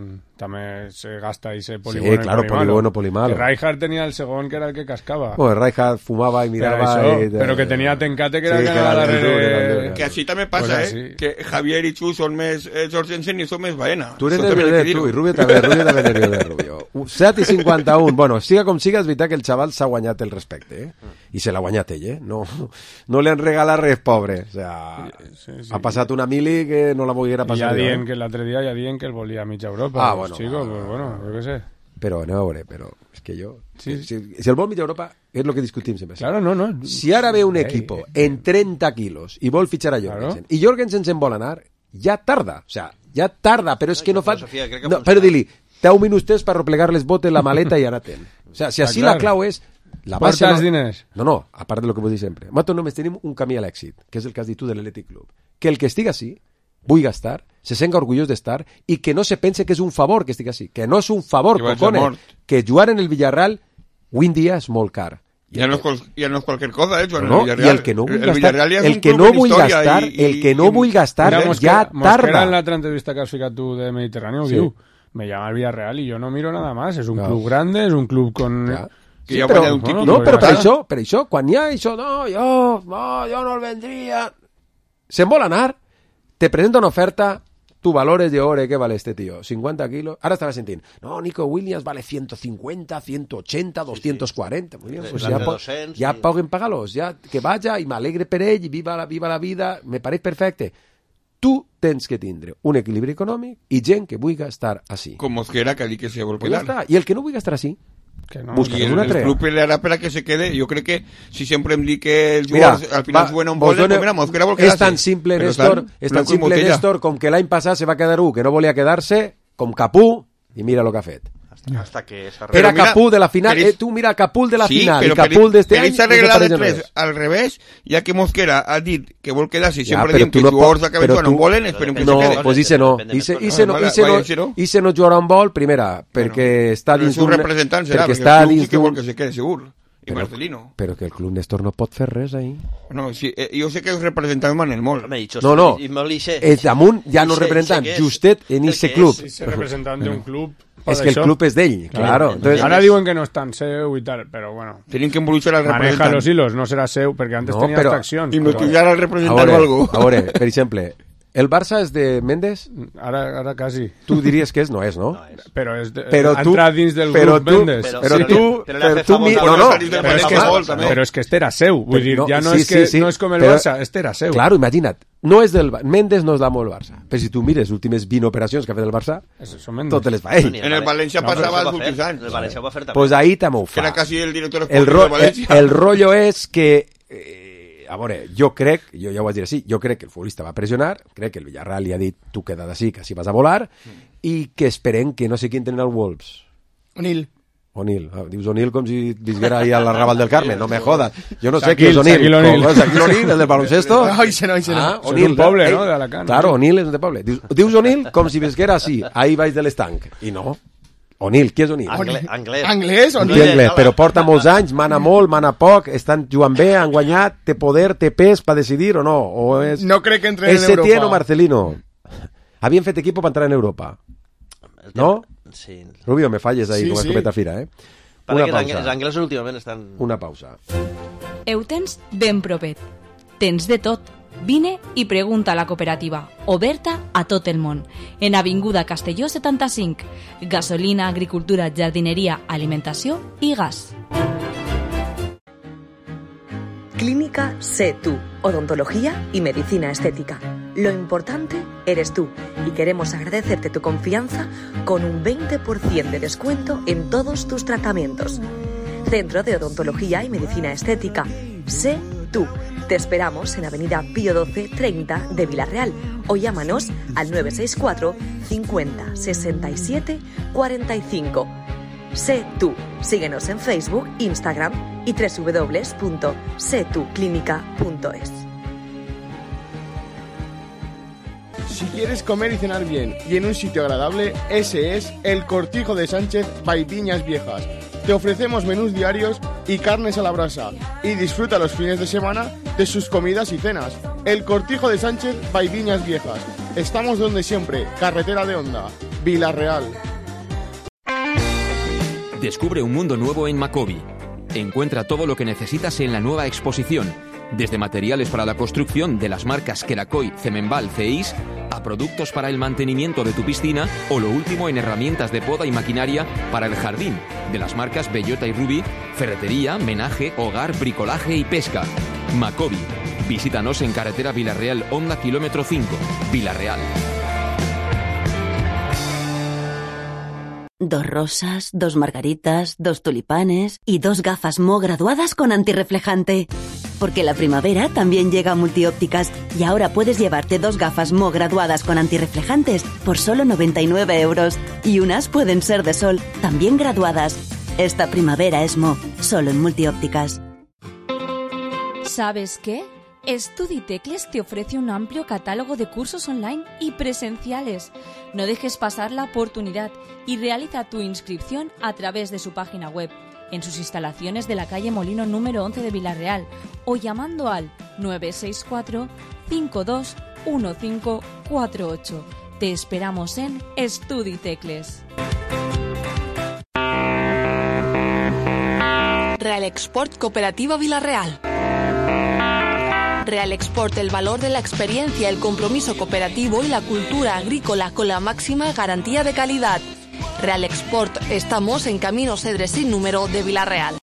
També se gasta i se poligono. Sí, claro, poligono, polimalo. Rijkaard tenía el segon que era el que cascaba. Bueno, Rijkaard fumaba y miraba... Pero que tenía Tencate que era el que era darrere... Que així també passa, que Javier i Xu són més Jorgensen i són més Baena. Tu eres nervioso, tu, i Rubio també nervioso, Rubio. 7 i 51, bueno, siga com siga, és veritat que el xaval s'ha guanyat el respecte, I se l'ha guanyat ell, No li han regalat res, pobre. O sea, ha passat una mili que no la volguera passar. Ja dient que l'altre dia que el volia a mitja Europa. Ah, bueno. Chico, pues bueno, yo qué sé. Però anem a veure, però és que jo... Si el vol mitja Europa, és el que discutim sempre. Claro, no. Si ara ve un equipo en 30 quilos i vol fitxar a Jorgensen, i Jorgensen se'n vol anar, ja tarda. O sea, ja tarda, però és que no fa... No, però dir-li, 10 minuts per replegar les botes, la maleta i anar-te'n. O sea, si així la clau és... Porta els diners. No, a part de lo que vull dir sempre. Nosaltres només tenim un camí a l'èxit, que és el que has dit tu de l'Atlètic Club. Que el que estigui així, vull estar, se senga orgullós d'estar i que no se pense que és un favor que estigui així, que no és un favor, cojones, que jugar en el Villarreal avui en dia és molt car. Ja no és qualsevol cosa, jugar en el Villarreal. I el que no vull gastar, el que no vull gastar ja tarda. Mosquera en l'altra entrevista que has ficat tu de Mediterráneo diu, me llama el Villarreal y yo no miro nada más, es un club grande, es un club con... Sí, però per això, quan hi ha això, jo no el vendria, se'n vol anar, te presenta una oferta, tu valores de ore, ¿qué vale este tío? 50 kilos. Ahora estaba sintiendo, no, Nico Williams vale 150, 180, 240. Muy bien, pues ya paguen pagalos, ya que vaya y me alegre per ell, y viva la vida, me pareix perfecte. Tu tens que tindre un equilibri econòmic i gent que vulgui estar així. Com Mosquera, que ha dit que se vol quedar. I el que no vulgui estar així, buscarem una trea. El club pelearà per a que se quede. Jo crec que si sempre em dic que els jugadors al final juguen on volen, pues mira, Mosquera vol quedar-se. És tan simple, Néstor, com que l'any passat se va quedar que no volia quedar-se, com Capú, i mira el que ha fet. Hasta que era Capú de la final, tú mira Capul de la final, i Capul d'este any... Però s'ha arreglat de tres al revés, ja que Mosquera ha dit que vol quedar-se, sempre diem que els jugadors acaben jugant on volen, esperem que se quede. No, pues Ise no jugarà on vol, primera, perquè està dins d'un... El seu representant serà, perquè el club sí que vol que se quede segur. I Marcelino. Però que el club Néstor no pot fer res ahí. No, sí, jo sé que els representants manen molt. No, és damunt ja no representant, justet en ese club. És representant d'un club. És que el club és d'ell, claro. Ara diuen que no és tan seu i tal, però bueno. Tenim que embolicar al representant. Maneja los hilos, no serà seu, perquè antes tenia accions. Hipnotitzar al representant o algo. A veure, per exemple, El Barça és de Mendes? Ara quasi. Tu diries que és? No és, no? Però és entrar dins del grup Mendes. Però és que este era seu. Vull dir, ja no és com el Barça, este era seu. Claro, imagina't. Mendes no és l'amo del Barça. Però si tu mires les últimes 20 operacions que ha fet el Barça, totes les fa ell. En el València passava els últims anys. El València ho va fer també. Pues ahí també ho fa. Era quasi el director esportiu del València. El rotllo és que... A veure, jo ja ho vaig dir així, jo crec que el futbolista va pressionar, crec que el Villarreal li ha dit tu queda't així, que així vas a volar, i que esperem que no sé qui entrena el Wolves. O'Neill. Dius O'Neill com si visguera ahí a la Raval del Carmen, no me jodas. Jo no sé qui és O'Neill. Shaquille O'Neill, el del baloncesto. Ese no. O'Neill, un poble, no? De Alacant. Claro, O'Neill és de poble. Dius O'Neill com si visguera així, ahí baix de l'estanc. I no. O'Neill, qui és O'Neill? Anglès, O'Neill. Però porta molts anys, mana molt, mana poc, estan jugant bé, han guanyat, té poder, té pes per decidir o no? O és... No crec que entren en Europa. Setién o Marcelino. Havien fet equipo per entrar en Europa. No? Sí. Rubio, me falles ahí com a escopeta fira, Una pausa. Els anglesos últimament estan... Una pausa. Ho tens ben propet. Tens de tot. Vine i pregunta a la cooperativa, oberta a tot el món, en Avinguda Castelló 75, gasolina, agricultura, jardineria, alimentació i gas. Clínica Sé Tú, odontología y medicina estética. Lo importante eres tú y queremos agradecerte tu confianza con un 20% de descuento en todos tus tratamientos. Centro de Odontología y Medicina Estética, Sé Tú. Te esperamos en Avenida Pío 12 30 de Villarreal o llámanos al 964 50 67 45. Sé Tú. Síguenos en Facebook, Instagram y www.setuclinica.es. Si quieres comer y cenar bien y en un sitio agradable, ese es el Cortijo de Sánchez by Viñas Viejas. Te ofrecemos menús diarios y carnes a la brasa y disfruta los fines de semana de sus comidas y cenas. El Cortijo de Sánchez by Viñas Viejas. Estamos donde siempre, carretera de Honda, Villarreal. Descubre un mundo nuevo en Macobi. Encuentra todo lo que necesitas en la nueva exposición, desde materiales para la construcción de las marcas Kerakoy, Cemenbal, CEIS, a productos para el mantenimiento de tu piscina o lo último en herramientas de poda y maquinaria para el jardín, de las marcas Bellota y Ruby, ferretería, menaje, hogar, bricolaje y pesca. Macobi. Visítanos en carretera Villarreal, Honda kilómetro 5, Villarreal. 2 rosas, 2 margaritas, 2 tulipanes y 2 gafas Mo graduadas con antirreflejante. Porque la primavera también llega a Multiópticas y ahora puedes llevarte 2 gafas Mo graduadas con antirreflejantes por solo 99 euros. Y unas pueden ser de sol, también graduadas. Esta primavera es Mo, solo en Multiópticas. ¿Sabes qué? StudyTecles te ofrece un amplio catálogo de cursos online y presenciales. No dejes pasar la oportunidad y realiza tu inscripción a través de su página web, en sus instalaciones de la calle Molino número 11 de Villarreal o llamando al 964 521548. Te esperamos en StudyTecles. Real Export Cooperativa Villarreal. Real Export, el valor de la experiencia, el compromiso cooperativo y la cultura agrícola con la máxima garantía de calidad. Real Export, estamos en Camino Cedre sin número de Villarreal.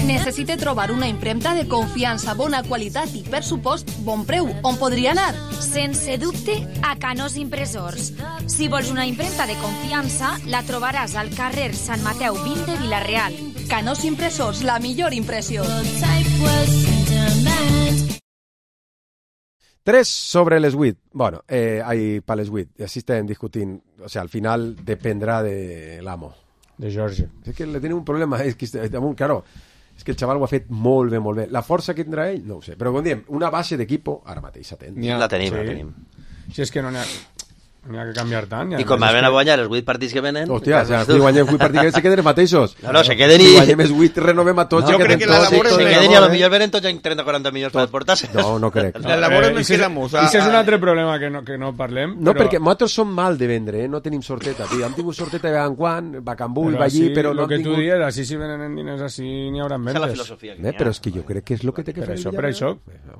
Necessite trobar una impremta de confiança, bona qualitat i, per supost, bon preu. On podria anar? Sense dubte, a Canós Impressors. Si vols una impremta de confiança, la trobaràs al carrer Sant Mateu 20 de Villarreal. Canós Impressors, la millor impressió. 3 sobre les 8. Bueno, per les 8. I així estem discutint. O sigui, al final dependrà de l'amo. De Jorge. És que le tenim un problema. És que, claro, és que el xaval ho ha fet molt bé, molt bé. La força que tindrà ell, no ho sé. Però com diem, una base d'equip ara mateix s'atén. La tenim. Si és que no n'hi ha... N'hi ha que canviar tant. I com van a guanyar els 8 partits que venen... Hòstia, si guanyem 8 partits que se queden els mateixos. No, se queden i... Si guanyem els 8, renovem a tots. Jo crec que la labor se queden i a lo millor venen tots en 30-40 milions per portar-se. No crec. La labor no quedamos. I és un altre problema que no parlem. No, perquè nosaltres som mal de vendre, no tenim sorteta, tio. Hem tingut sorteta de vegades en quan, Bacambú i va allí, però no hem tingut... El que tu dies, així si venen diners així n'hi haurà vendes. És la filosofia que però és que jo crec que és el que té que fer. Per això.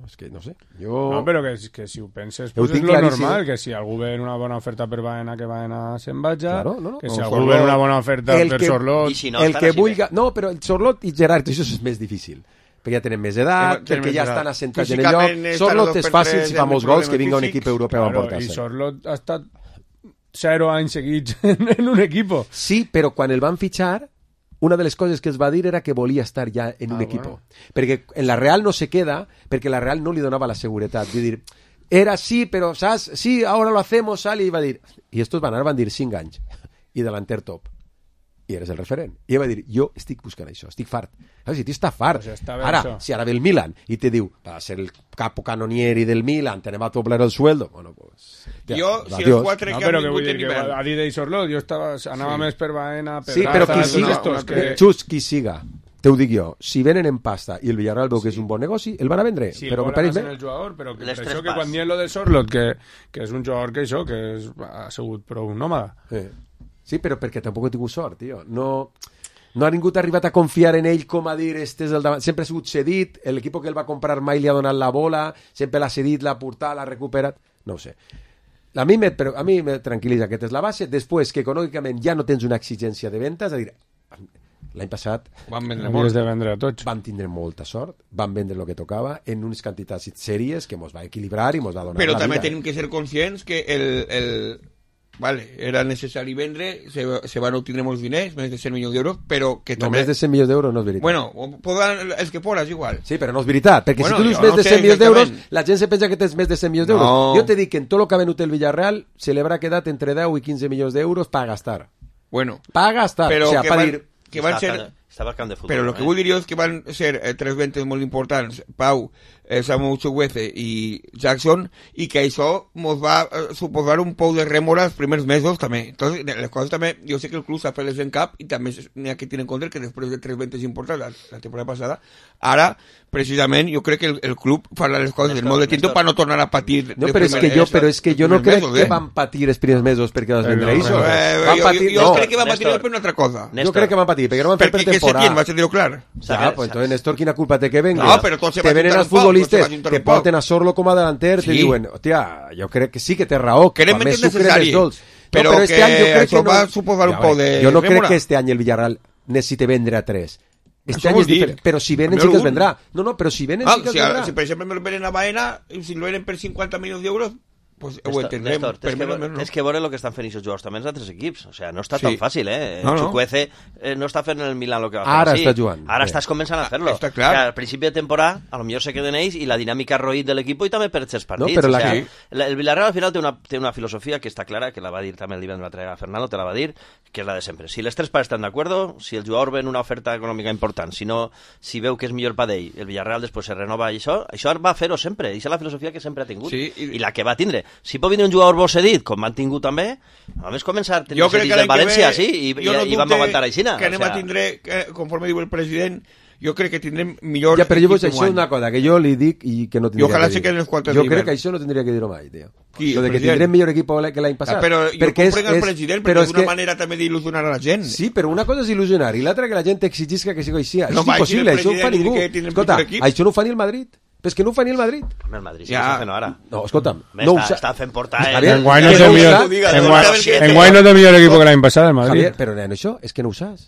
És que no sé. No, però que si ho penses, pues és lo normal, que si algú ve una bona oferta per Baena, que Baena se'n vaja, que si algú ve una bona oferta per Sorlot... El que vulga... No, però el Sorlot i Gerard, això és més difícil. Perquè ja tenen més edat, perquè ja estan assentats en el lloc. Sorlot és fàcil si fa molts gols que vinga un equip europeu a emportar-se. I Sorlot ha estat 0 anys seguits en un equip. Sí, però quan el van fitxar, una de les coses que els va dir era que volia estar ja en un equip. Perquè en la Real no se queda, perquè la Real no li donava la seguretat. Vull dir, era sí, però saps? Sí, ahora lo hacemos, sale, i va dir... I estos van dir 5 anys. I delanter top. I eres el referent. I va dir, jo estic buscant això, estic fart. Si tu estàs fart. Ara, si ara ve el Milan i te diu, va ser el capo canonieri del Milan, tenem a doblar el sueldo. Bueno, pues... Jo, si els 4 que han vingut en hivern... A dir de Sorlot, jo anava més per Baena... Sí, però qui siga, Xus, qui siga, te ho dic jo, si venen en pasta i el Villarreal veu que és un bon negoci, el van a vendre. Sí, però el jugador, però per això que quan diem lo de Sorlot, que és un jugador que ha sigut prou nòmada. Sí, però perquè tampoc he tingut sort, tio. No ha ningú arribat a confiar en ell com a dir, este és el davant. Sempre ha sigut cedit, l'equip que el va comprar mai li ha donat la bola, sempre l'ha cedit, l'ha portat, l'ha recuperat, no ho sé. A mi me tranquil·litza, aquesta és la base. Després, que econòmicament ja no tens una exigència de venda, és a dir, l'any passat van vendre a tots. Van tindre molta sort, van vendre el que tocava en unes quantitats sèries que mos va equilibrar i mos va donar però la vida. Però també tenim que ser conscients que vale, era necessari vendre, se van obtenir molts diners, més de 100 milions d'euros, però que també... No, més de 100 milions d'euros no és veritat. Bueno, els que pones igual. Sí, però no és veritat, perquè si tu dius més de 100 milions d'euros, la gent se pensa que tens més de 100 milions d'euros. Jo te dic que en tot el que ha venut el Villarreal se li haurà quedat entre 10 i 15 milions d'euros per gastar. Bueno. Per gastar, però o sigui, per dir... Que van ser... Estava al camp de futbol. Però el que vull dir és que van ser 3 ventes molt importants, Pau, Samu Chukwueze i Jackson, i que això ens va suposar un pou de rèmora els primers mesos també. Entonces, les coses també, jo sé que el club s'ha fet les en cap i també n'hi ha que tenir en compte que després de 3 ventes importants la temporada passada, ara, precisament, jo crec que el club farà les coses del modo tinto per no tornar a patir. No, però és que jo no crec que van patir els primers mesos perquè les vendré això. Jo crec que van patir per una altra cosa. Jo crec que van patir, perquè no van fer per temporada. Vaig a dir-ho clar. Ja, pues entonces, Néstor, quina culpa té que venga? No, però tots se te venen els futbolistes que porten a Sorlo com a delanter, te diuen, hòstia, jo crec que sí que té raó, que a més necessari, però que això va suposar un pou de... Jo no crec que este any el Villarreal necessite vendre a 3. Este any és diferent, però si venen sí que es vendrà. No, però si venen sí que es vendrà. Si per exemple me lo venen a Baena, si lo venen per 50 milions d'euros, pues ho entendrem. És que veure el que estan fent aquests jugadors també els altres equips. O sea, no està tan fàcil, Chukwueze no està fent el Milan el que va fer. Ara està jugant. Ara estàs començant a fer-lo. Està clar. Al principi de temporada, a lo millor se queden ells i la dinàmica roït de l'equip i també per els partits. No, el Villarreal al final té una filosofia que està clara, que la va dir també el divendres a Fernando, te la va dir, que és la de sempre. Si les tres parts estan d'acord, si el jugador ven una oferta econòmica important, si veu que és millor per ell, el Villarreal després se renova i això va fer-ho sempre. Això és la filosofia que sempre ha tingut i la que va tindre. Si pot vindre un jugador bo cedit, com van tingut també, només començar a tenir cedits del València, i vam aguantar aixina. Que anem a tindre, conforme diu el president, jo crec que tindrem millor... Ja, però jo això és una cosa que jo li dic i que no tindria que dir. Jo crec que això no tindria que dir-ho mai, tio. Lo de que tindrem millor equip que l'any passat. Però jo comprenc el president, perquè és una manera també d'il·lusionar a la gent. Sí, però una cosa és il·lusionar i l'altra que la gent exigisca que sigui així. Això és impossible, això no ho fa ningú. Escolta, això no ho fa ni el Madrid. Però és que no ho fa ni el Madrid. El Madrid sí que està fent ara. No, escolta'm. Està fent portar... Enguany no té millor equip que l'any passat, el Madrid. Però en això és que no ho saps.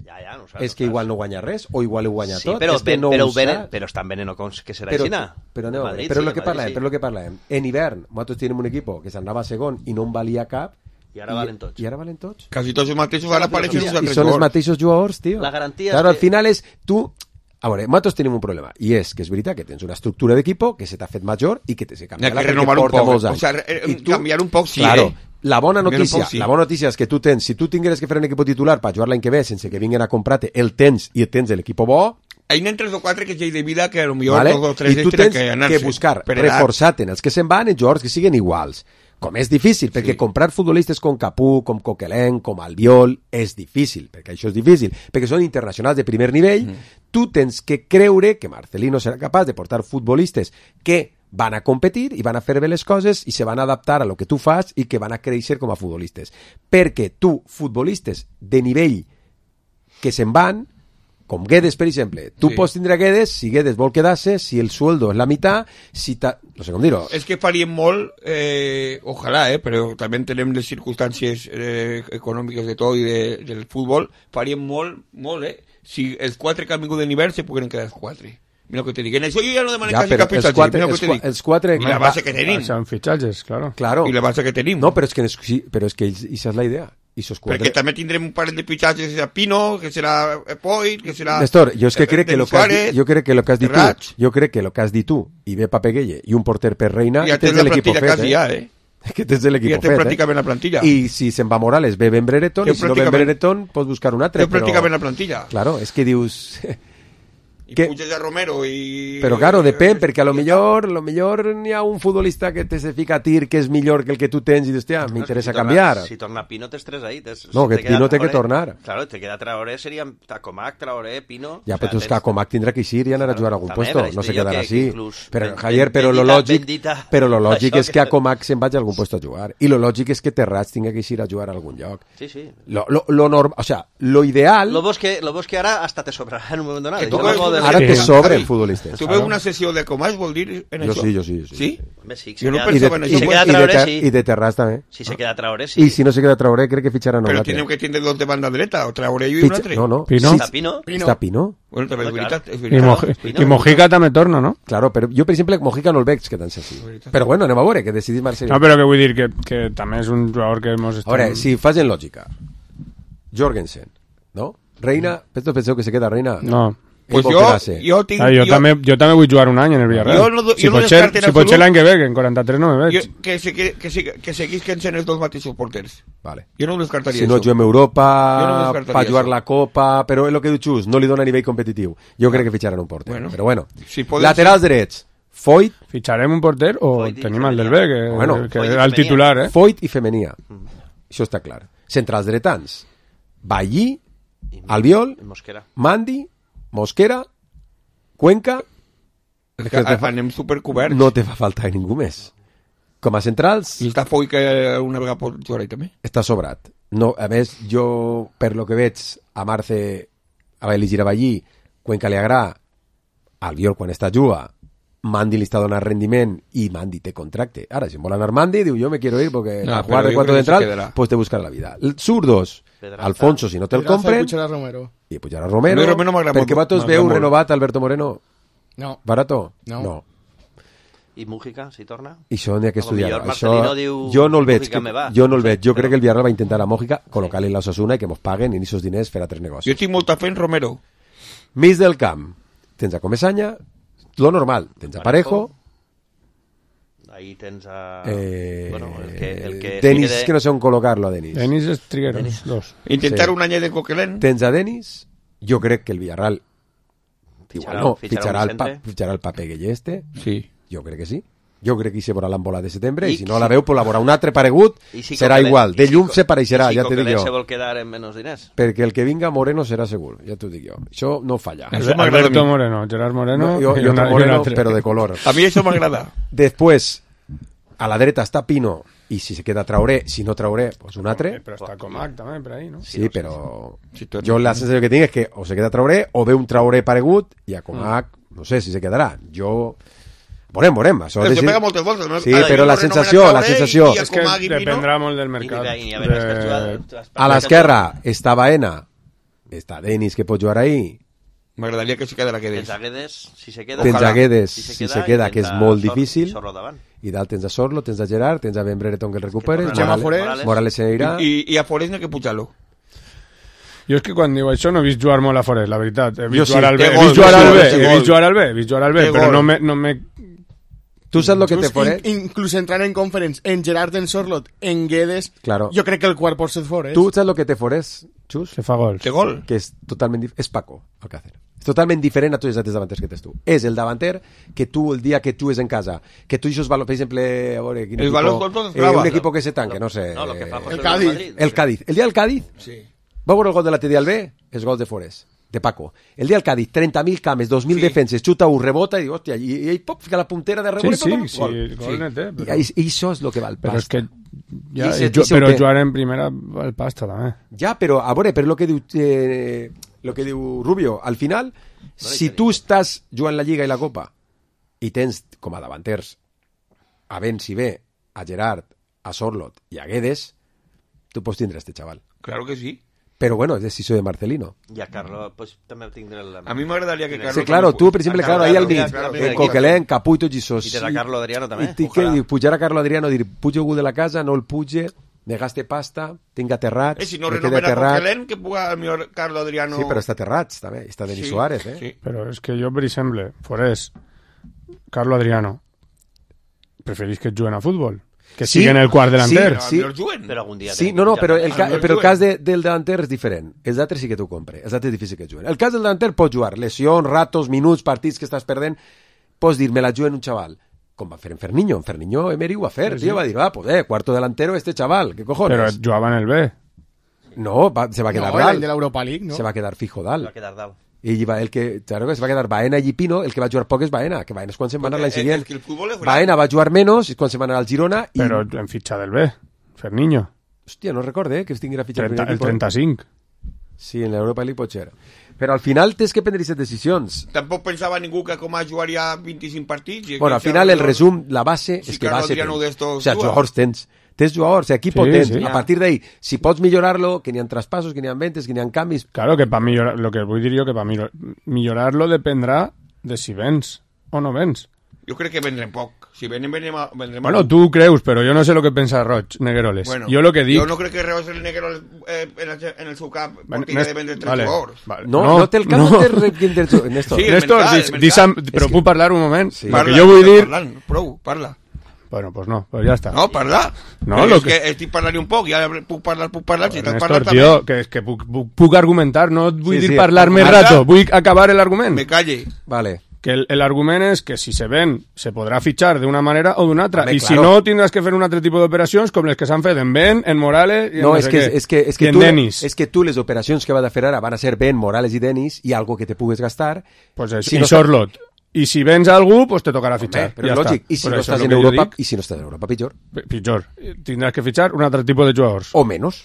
És que igual no guanya res, o igual ho guanya tot. Però estan venent que serà així. Però el que parlem. En hivern, nosaltres tenim un equip que s'anava segon i no en valia cap, i ara valen tots. Quasi tots els mateixos ara apareixen uns altres jugadors. I són els mateixos jugadors, tio. La garantia és que... Al final és tu... A veure, nosaltres tenim un problema, i és que és veritat que tens una estructura d'equip que se t'ha fet major i que se canviarà perquè porta molts anys. Canviar un poc, sí, claro, la bona notícia és que tu tens, si tu tingueres que fer un equip titular per jugar l'any que ve sense que vinguin a comprar-te, el tens i tens l'equip bo, hi ha 3 o 4 que ja hi de vida que potser 2 o 3 i tu tens que buscar reforçar-te en els que se'n van en jugadors que siguin iguals. Com és difícil, perquè comprar futbolistes com Capú, com Coquelin, com Albiol, és difícil, perquè això és difícil, perquè són internacionals de primer nivell, tu tens que creure que Marcelino serà capaç de portar futbolistes que van a competir i van a fer bé les coses i se van a adaptar a lo que tu fas i que van a créixer com a futbolistes. Perquè tu, futbolistes de nivell que se'n van, com Guedes, per exemple, tu pots tindre Guedes si Guedes vol quedar-se, si el sueldo és la meitat, si no sé com dir-ho. És que faríem molt, ojalà, però també tenim les circumstàncies econòmiques de tot i del futbol, faríem molt, si els 4 que han vingut de nivell se puguen quedar els 4. Mira que te dic, en això jo ja no demanem quasi cap fitxatge. Els 4... I la base que tenim. Són fitxatges, claro. I la base que tenim. No, però és que això és la idea. Perquè també tindrem un parell de fitxatges, que serà Pino, que serà Poit, que serà... Néstor, jo crec que lo que has dit tu, i ve Papeguelle, i un porter per Reina, ja tens l'equip fet, que tens l'equip fet, ja tens pràcticament la plantilla. I si se'n va Morales, ve Ben Brereton, i si no ve Ben Brereton, pots buscar un altre. Tens pràcticament la plantilla. Claro, és que dius... I puges a Romero i... Però claro, depèn, perquè a lo millor n'hi ha un futbolista que te se fica a tir que és millor que el que tu tens i dius, hòstia, m'interessa canviar. Si torna Pino, tens 3 ahí. No, que Pino té que tornar. Claro, te queda Traoré, seria Tacomac, Traoré, Pino... Ja, però tu és que Tacomac tindrà que eixir i anar a jugar a algun puesto, no se quedarà així. Però, Javier, però lo lògic és que Tacomac se'n vagi a algun puesto a jugar. I lo lògic és que Terrats tingui que eixir a jugar a algun lloc. Sí, sí. Lo normal, o sea, lo ideal... Lo bo és que ara hasta te sobrarà en un moment donat. Ara te sobren futbolistes. Tu veus una sessió de Comas, vol dir en això? Jo sí. Sí? Jo no pensava en això. Si se queda Traoré, sí. I de Terrats també. Si se queda Traoré, sí. I si no se queda Traoré, crec que fitxaran un altre. altre. Però tenen que tindre dos de banda dreta, o Traoré i un altre. No. Pino? Està Pino? Bueno, també és veritat. I Mojica també torna, no? Claro, però jo, per exemple, Mojica no el veig quedant-se així. Però bueno, anem a veure, que decidís Marcelino. No, però que vull dir que també és un jugador que hemos... A veure, si fas en lògica, Jorgensen, no? Reina, penseu que se queda Reina? No. Pues jo també vull jugar un any en el Villarreal. Si pot ser l'any que ve, que en 43 no me veig. Que seguisquen sent els dos mateixos porters. Vale. Jo no ho descartaria. Si no juguem Europa, per jugar la Copa, però és el que diu Xus, no li dona a nivell competitiu. Jo crec que fitxaran un porter. Però bueno, laterals drets, Foyt. Fitxarem un porter o tenim el del B, que és el titular, Foyt i Femenia. Això està clar. Centrals dretans, Ballí, Albiol, Mandi, Mosquera, Cuenca... Anem supercoberts. No te fa falta ningú més. Com a centrals... I està Foy que una vegada pot jugar ahí també. Està sobrat. No, a més, jo, per lo que veig, a Marce va elegir a Ballí, Cuenca li agrada, Albiol quan està juga, Mandi li està donant rendiment i Mandi té contracte. Ara, si em vol anar Mandi, diu, jo me quiero ir porque a jugar de 4 central, pues te buscarà la vida. Zurdos, Alfonso, si no te'l compren... I pujarà Romero, perquè vosaltres veu renovat Alberto Moreno? No. Barato? No. I Mújica, si torna? I això n'hi ha que estudiar. Jo no el veig. Jo crec que el Villarreal va intentar a Mújica col·locar-li la Osasuna i que mos paguen i aquests diners fer altres negocis. Jo tinc molta fe en Romero. Mig del camp. Tens a Comesaña, lo normal. Tens a Parejo. Ahí tens a... el que Denis, que no sé on col·locar-lo a Denis. Denis és Triguero, dos. Intentar un any de Coquelin. Tens a Denis. Jo crec que el Villarreal fitxarà el Papeguelle este. Sí. Jo crec que sí. Jo crec que hi se veurà l'embola de setembre i si no la veu, pues la veurà un altre paregut, serà igual. De llum se pareixerà, ja t'ho dic jo. I si Coquelin se vol quedar en menys diners? Perquè el que vinga Moreno serà segur, ja t'ho dic jo. Això no falla. Alberto Moreno, Gerard Moreno i otro Moreno, però de color. A mi això m'agrada. Després, a la dreta està Pino i si se queda Traoré, si no Traoré, pues un altre. Però està Comac també per ahí, no? Sí, però jo la sensació que tinc és que o se queda Traoré o ve un Traoré paregut i a Comac, no sé si se quedarà. Jo... Veurem. Això pega moltes voltes, no? Sí, però la sensació... És que dependrà molt del mercat. A l'esquerra està Baena, està Denis que pot jugar ahí. M'agradaria que se quedara Guedes. Tens a Guedes, si se queda, que és molt difícil. I dalt tens a Sorlo, tens a Gerard, tens a Ben Brereton que el recuperes, Morales se irà. I a Forés no hay que pujar-lo. Jo és que quan diu això no he vist jugar molt a Forest, la veritat. He vist jugar al B, però no me... Tu saps lo que te Forest? Inclús entrar en conference, en Gerard, en Sorlot, en Guedes, claro. Jo crec que el quart pot ser Forest. Tu saps lo que te Forest? Xus? Que fa gols. Té gol. Que és totalment és Paco Alcácer. És totalment diferent a tots els altres davanters que tens tu. És el davanter que tu, el dia que tu és en casa, que tu això per exemple, a veure, quin el equipo, un equipo que se tanque, no sé. No, lo que fa el Cádiz. El Cádiz. El dia del Cádiz, sí. va veure el gol de la TD al B, els gols de Forest, de Paco. El dia del Cádiz, 30.000 cames, 2.000 defenses, xuta un, rebota i diu, hòstia, i pop, fica la puntera de rebot sí, gol. Gol net, però... I això és el que val però pasta. Però és que però jugar en primera val pasta també. Ja, però a veure, per lo que diu Rubio, al final, si tu estàs jugant la Lliga i la Copa i tens com a davanters a Benzi B, a Gerard, a Sorlot i a Guedes, tu pots tindre este xaval. Claro que sí. Pero bueno, es decisió de Marcelino. Y a Carlo, pues también tendré la... A mí m'agradaria que Carlo... Sí, claro, tú, por ejemplo, claro, ahí al mig, en Coquelén, Capuito, Gisós. I tens a Carlo Adriano també. I que pujar a Carlo Adriano, dir, puja algú de la casa, no el puge, me gaste pasta, tinc aterrats... si no renomena Coquelén, que puga el millor Carlo Adriano... Sí, però està aterrats, també. Està Denis Suárez, eh? Sí. Però és que jo, per exemple, Forés, Carlo Adriano, preferís que juguen a futbol? Que siguen el quart delanter. Sí, però algun dia... Sí, no, però el cas del delanter és diferent. Els altres sí que t'ho compre. Els altres és difícil que juguen. El cas del delanter pot jugar. Lesions, ratos, minuts, partits que estàs perdent. Pots dir, me la juguen un xaval. Com va fer en Ferniño. En Ferniño Emery ho va fer. Sí. Tio, va dir, pues cuarto delantero este chaval. ¿Qué cojones? Però jugava en el B. No, se va a quedar dalt. El de l'Europa League, no? Se va a quedar fijo dalt. Se va a quedar dalt. I el que, claro, que se va quedar Baena i Pino, el que va jugar poc és Baena, que Baena és quan se'n va anar l'any següent. Baena va jugar menys és quan se'n va anar al Girona. Però en fitxa del B, Ferniño. Hòstia, no recorde que es tinguera fitxa el 35. Sí, en l'Europa League pot ser. Però al final tens que prendre aquestes decisions. Tampoc pensava ningú que com a jugaria 25 partits. Bueno, al final el resum, la base, és que base tens. O sea, jugadors tens jugadors, equip tens. A partir d'ahí, si pots millorar-lo, que n'hi ha traspassos, que n'hi ha ventes, que n'hi ha canvis... Claro, que para millorar, lo que vull dir jo, que para millorarlo dependrà de si vens o no vens. Jo crec que vendrem poc. Si vendrem bueno, tu creus, però jo no sé lo que pensa Roig, Negueroles. Bueno, jo lo que dic... Jo no crec que Reus el Negueroles en el seu cap perquè de vendre 3 jugadors. Vale. No té el cap, no té Néstor. Sí, Néstor, però puc parlar un moment? Sí. Lo que jo vull dir... Prou, parla. Bueno, pues no, pues ya está. No, parla. No, lo que estic parlant un poc, ja puc parlar, si t'has parlat també. Tio, que és que puc argumentar, no vull dir parlar més rato, vull acabar el argument. Me calle. Vale. Que el argument és que si se ven, se podrà fitxar d'una manera o d'una altra. I si no, tindràs que fer un altre tipus d'operacions com les que s'han fet en Ben, en Morales i en no sé què. I en Denis. És que tu les operacions que va de fer ara van a ser Ben, Morales i Denis i algo que te pugues gastar. Pues això, i Sorlot. I si vens a algú, pues te tocarà fitxar. Però ja lògic. I si no estàs en Europa, pitjor. Pitjor. Tindràs que fitxar un altre tipus de jugadors. O menys.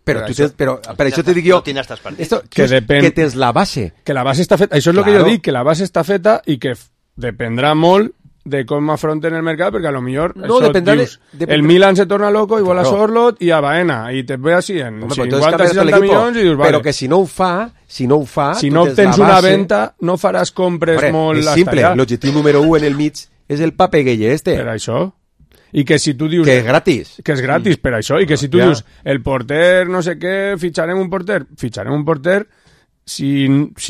Però per això te dic jo que tens la base. Que la base està feta. Això és el que jo dic, que la base està feta i que dependrà molt de com afronten el mercat, perquè a lo millor el Milan se torna loco i vol a Sorlot i a Baena i te ve així en 50-60 milions i dius, vale. Però que si no ho fa si no tens una venda no faràs compres molt és simple, l'objectiu número 1 en el mig és el Pape Gueye per això. I que si tu dius... Que és gratis. Que és gratis, per això. I que si tu dius, el porter, no sé què, fitxarem un porter, si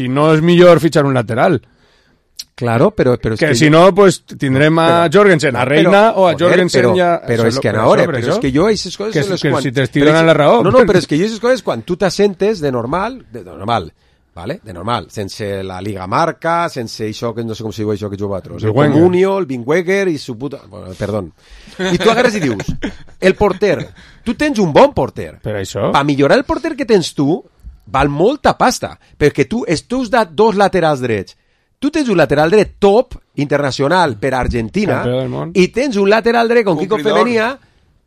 no és millor fitxar un lateral. Claro, però és que si no, pues tindrem a Jorgensen, a Reina o a Jorgensen ja... Però és que ara, però és que jo aquestes coses... Que si t'estic donant la raó... No, però és que jo aquestes coses, quan tu t'assentes de normal, ¿vale? De normal, sense la Liga Marca, sense això, que no sé com se diu això que juga vosaltres, el Comunio, el Bingweger i su puta... Bueno, perdón. I tu agarres i dius, el porter, tu tens un bon porter. Per això? Per millorar el porter que tens tu, val molta pasta, perquè tu has dat 2 laterals drets. Tu tens un lateral dret top, internacional, per Argentina, i tens un lateral dret con Kiko Femenia,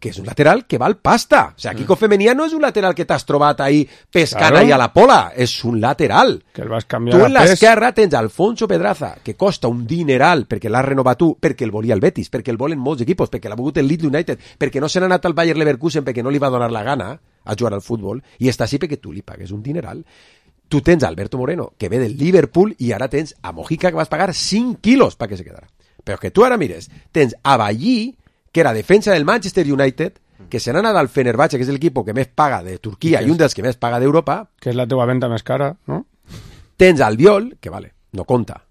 que és un lateral que val pasta. O sea, Kiko Femenia no és un lateral que t'has trobat ahí pescant ahí a la pola, és un lateral. Que el vas canviar tu en l'esquerra tens Alfonso Pedraza, que costa un dineral perquè l'has renovat tu, perquè el volia el Betis, perquè el volen molts equipos, perquè l'ha volgut el Leeds United, perquè no se n'ha anat al Bayer Leverkusen perquè no li va donar la gana a jugar al futbol, i està així perquè tu li pagues un dineral. Tu tens Alberto Moreno, que ve del Liverpool, i ara tens a Mojica, que vas pagar 5 quilos perquè se quedara. Però que tu ara mires, tens a Ballí, que era defensa del Manchester United, que se n'ha anat al Fenerbahce, que és l'equip que més paga de Turquia i un dels que més paga d'Europa. Que és la teva venda més cara, no? Tens Albiol, que vale, no compta.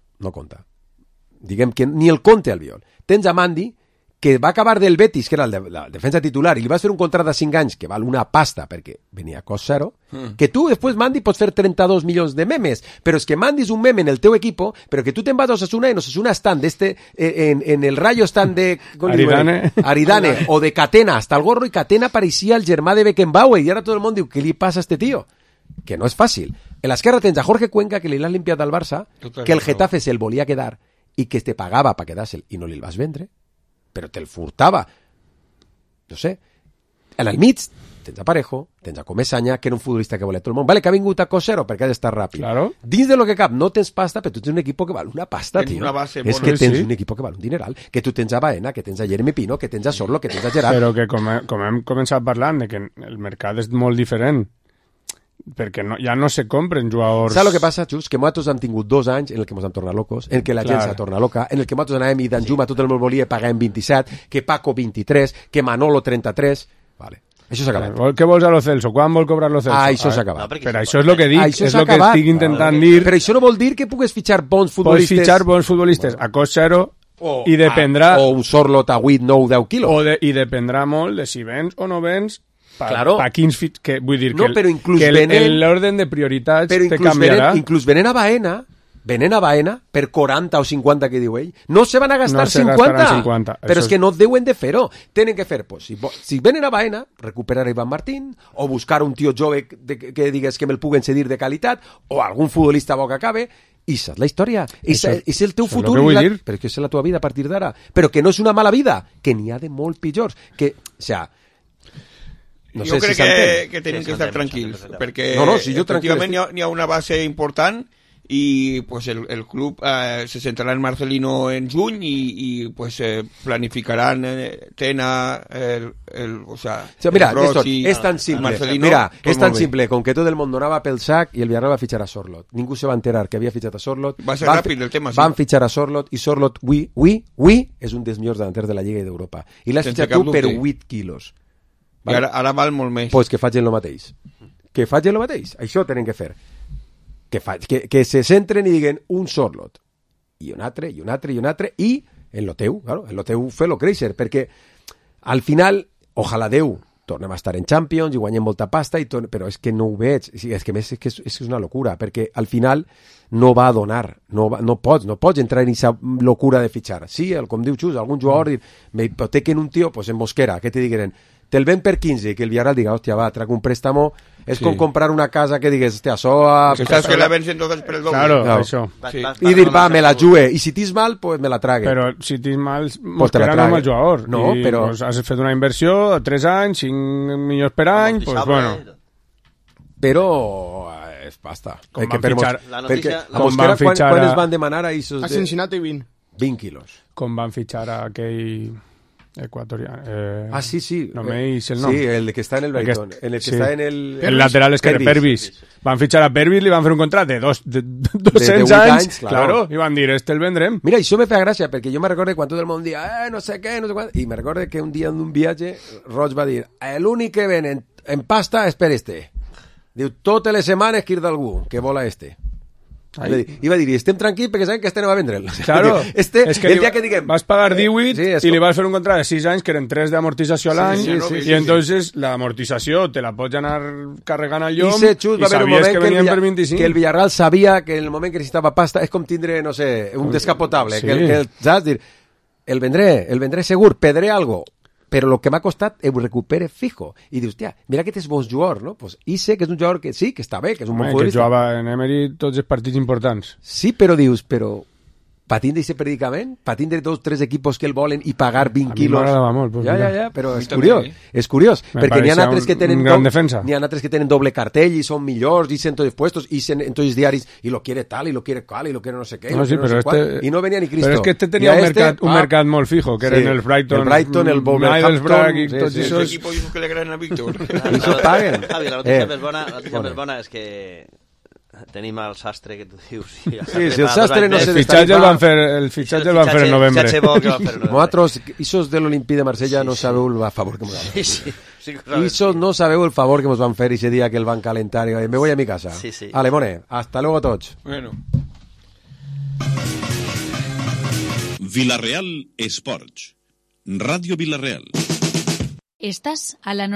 Diguem que ni el compte Albiol. Tens a Mandi, que va acabar del Betis, que era la defensa titular, i li vas fer un contracte de 5 anys que val una pasta perquè venia a cost zero, que tu després, Mandy, pots fer 32 milions de memes, però és que mandis un meme en el teu equipo, però que tu te'n vas a Osasuna i en Osasuna estan en el Rayo estan de Aridane o de Catena, hasta el gorro, i Catena parecía el germà de Beckenbauer, i ara tot el món diu, què li passa a este tío? Que no és fàcil. En l'esquerra tens a Jorge Cuenca, que li l'han limpiat al Barça, que el Getafe se'l volia quedar i que te pagava per quedar-se'l i no li el vas vendre, però te'l furtava. No sé. En el mig tens a Parejo, tens a Comesaña, que era un futbolista que volia tot el món. Vale, que ha vingut a Cosero perquè ha d'estar ràpid. Claro. Dins de lo que cap no tens pasta, però tu tens un equip que val una pasta, tio. És que tens un equip que val un dineral. Que tu tens a Baena, que tens a Jeremy Pino, que tens a Sorlo, que tens a Gerard. Però que com hem començat parlant, de que el mercat és molt diferent, perquè ja no se compren jugadors... Saps el que passa, Xus? Que nosaltres hem tingut 2 anys en el que ens hem tornat locos, en el que la gent s'ha tornat loca, en el que nosaltres anàvem i Danjuma tot el món volia pagar en 27, que Paco 23, que Manolo 33... Vale. Això s'ha acabat. Què vols a Lo Celso? Quan vol cobrar Lo Celso? Això s'ha acabat. Però això és el que dic, és el que estic intentant dir... Però això no vol dir que pugues fitxar bons futbolistes... Pots fitxar bons futbolistes a cost zero i dependrà... O un Sorlot a 8, 9, 10 quilos. I dependrà molt de si vens o no vens... Claro. Vull dir no, que l'orden de prioritats te canviarà. Inclús venen a Baena per 40 o 50 que diu ell, no se van a gastar 50, però és que no deuen de fer-ho, tenen que fer, pues, si venen a Baena, recuperar a Iván Martín, o buscar un tio jove que digues que me'l puguen cedir de qualitat, o algun futbolista bo que acabe, i és la història, és el teu futur, però és que és la teva vida a partir d'ara, però que no és una mala vida, que n'hi ha de molt pitjors, que, o sea, no jo crec que tenim que estar tranquils, perquè efectivament hi ha una base important i pues, el club se centrarà en Marcelino en juny i pues, planificaran Tena, mira, és tan simple, Marcelino, mira, és tan simple com que tot el món donava pel sac i el Villarreal va fitxar a Sorlot. Ningú se va enterar que havia fitxat a Sorlot. Va ser ràpid el tema, sí. Van fitxar a Sorlot i Sorlot, és un dels millors davanters de la Lliga i d'Europa. I l'has fitxat tu per 8 quilos. I ara val molt més. Pues que facin el mateix. Que facin el mateix. Això tenen que fer. Que se centren i diguen un Sorlot. I un altre, i un altre, i un altre. I en lo teu, claro, en lo teu fer-lo créixer. Perquè al final, ojalà Déu, tornem a estar en Champions i guanyem molta pasta, però és que no ho veig. És que és una locura, perquè al final no va a donar. No pots entrar en aquesta locura de fitxar. Sí, com diu Xus, algun jugador me hipotequen un tio, pues en Mosquera, què te digueren? Te'l ven per 15, que el Villarreal diga, hòstia, va, trac un préstamo, és com comprar una casa que digues, hòstia, que la vens entonces per el doble. Claro, això. I dir, va, me la jugue, i si t'is mal, pues me la trague. Però si t'is mal, Mosquera no és el jugador. No, però... Has fet una inversió, 3 anys, 5 milions per any, pues bueno. Però és pasta. Com van fitxar... Perquè a Mosquera, quan es van demanar a Isos? A Cincinnati 20. 20 quilos. Com van fitxar a aquell... ecuatoriano. Sí. No me dice el nombre. Sí, el que está en el Brighton. En el que está en el... El lateral es que Pervis. Van fichar a Pervis, li van fer un contracte de 200 anys. Claro. I van dir, el vendrem. Mira, això me fa gràcia, perquè jo me recordo quan tot el món dia, no sé què, no sé quan... I me recordo que un dia en un viatge, Roig va dir, l'únic que ven en pasta és per este. Diu, totes les setmanes que ir d'algú, que vola este. I va dir, estem tranquils perquè sabem que este no va vendre'l. Claro, és que el dia que diguem... Vas pagar 18 i li vas fer un contracte de 6 anys que eren 3 d'amortització a l'any i entonces l'amortització te la pots anar carregant al llom i sabies que venien per 25. Que el Villarreal sabia que en el moment que necessitava pasta és com tindre, no sé, un descapotable. Saps dir, el vendré segur, pedré algo, però el que m'ha costat ho recupere fijo. I dius, tia, mira que és bon jugador, no? Pues sé que és un jugador que sí, que està bé, que és un bon futbolista. Que jugava en Emery tots els partits importants. Sí, però dius, patint d'aquest predicament, patint de 2 o 3 equipos que el volen i pagar 20 quilos. A mi m'agradava molt. Pues ja, però és curiós. Perquè n'hi ha altres que tenen doble cartell i són millors, i en tots els puestos, i en tots els diaris, i lo quiere tal, i lo quiere cal, i lo quiere no sé què, i no venia ni Cristo. Però és que tenia un mercat molt fijo, que eren el Brighton, el Wolverhampton, i tots esos equipos que le agraden a Víctor. I això paguen. Javi, la notícia més bona és que tenim el sastre que tu dius. Sí, si el sastre no se el fitxatge el van fer en novembre. Vosaltres, isos de l'Olimpí de Marsella, no sabeu el favor que ens van fer. Isos no sabeu el favor que ens van fer ese dia que el van calentar i me voy a mi casa. Ale, mone, hasta luego a tots. Bueno. Villarreal Esports, Radio Villarreal. Estás a la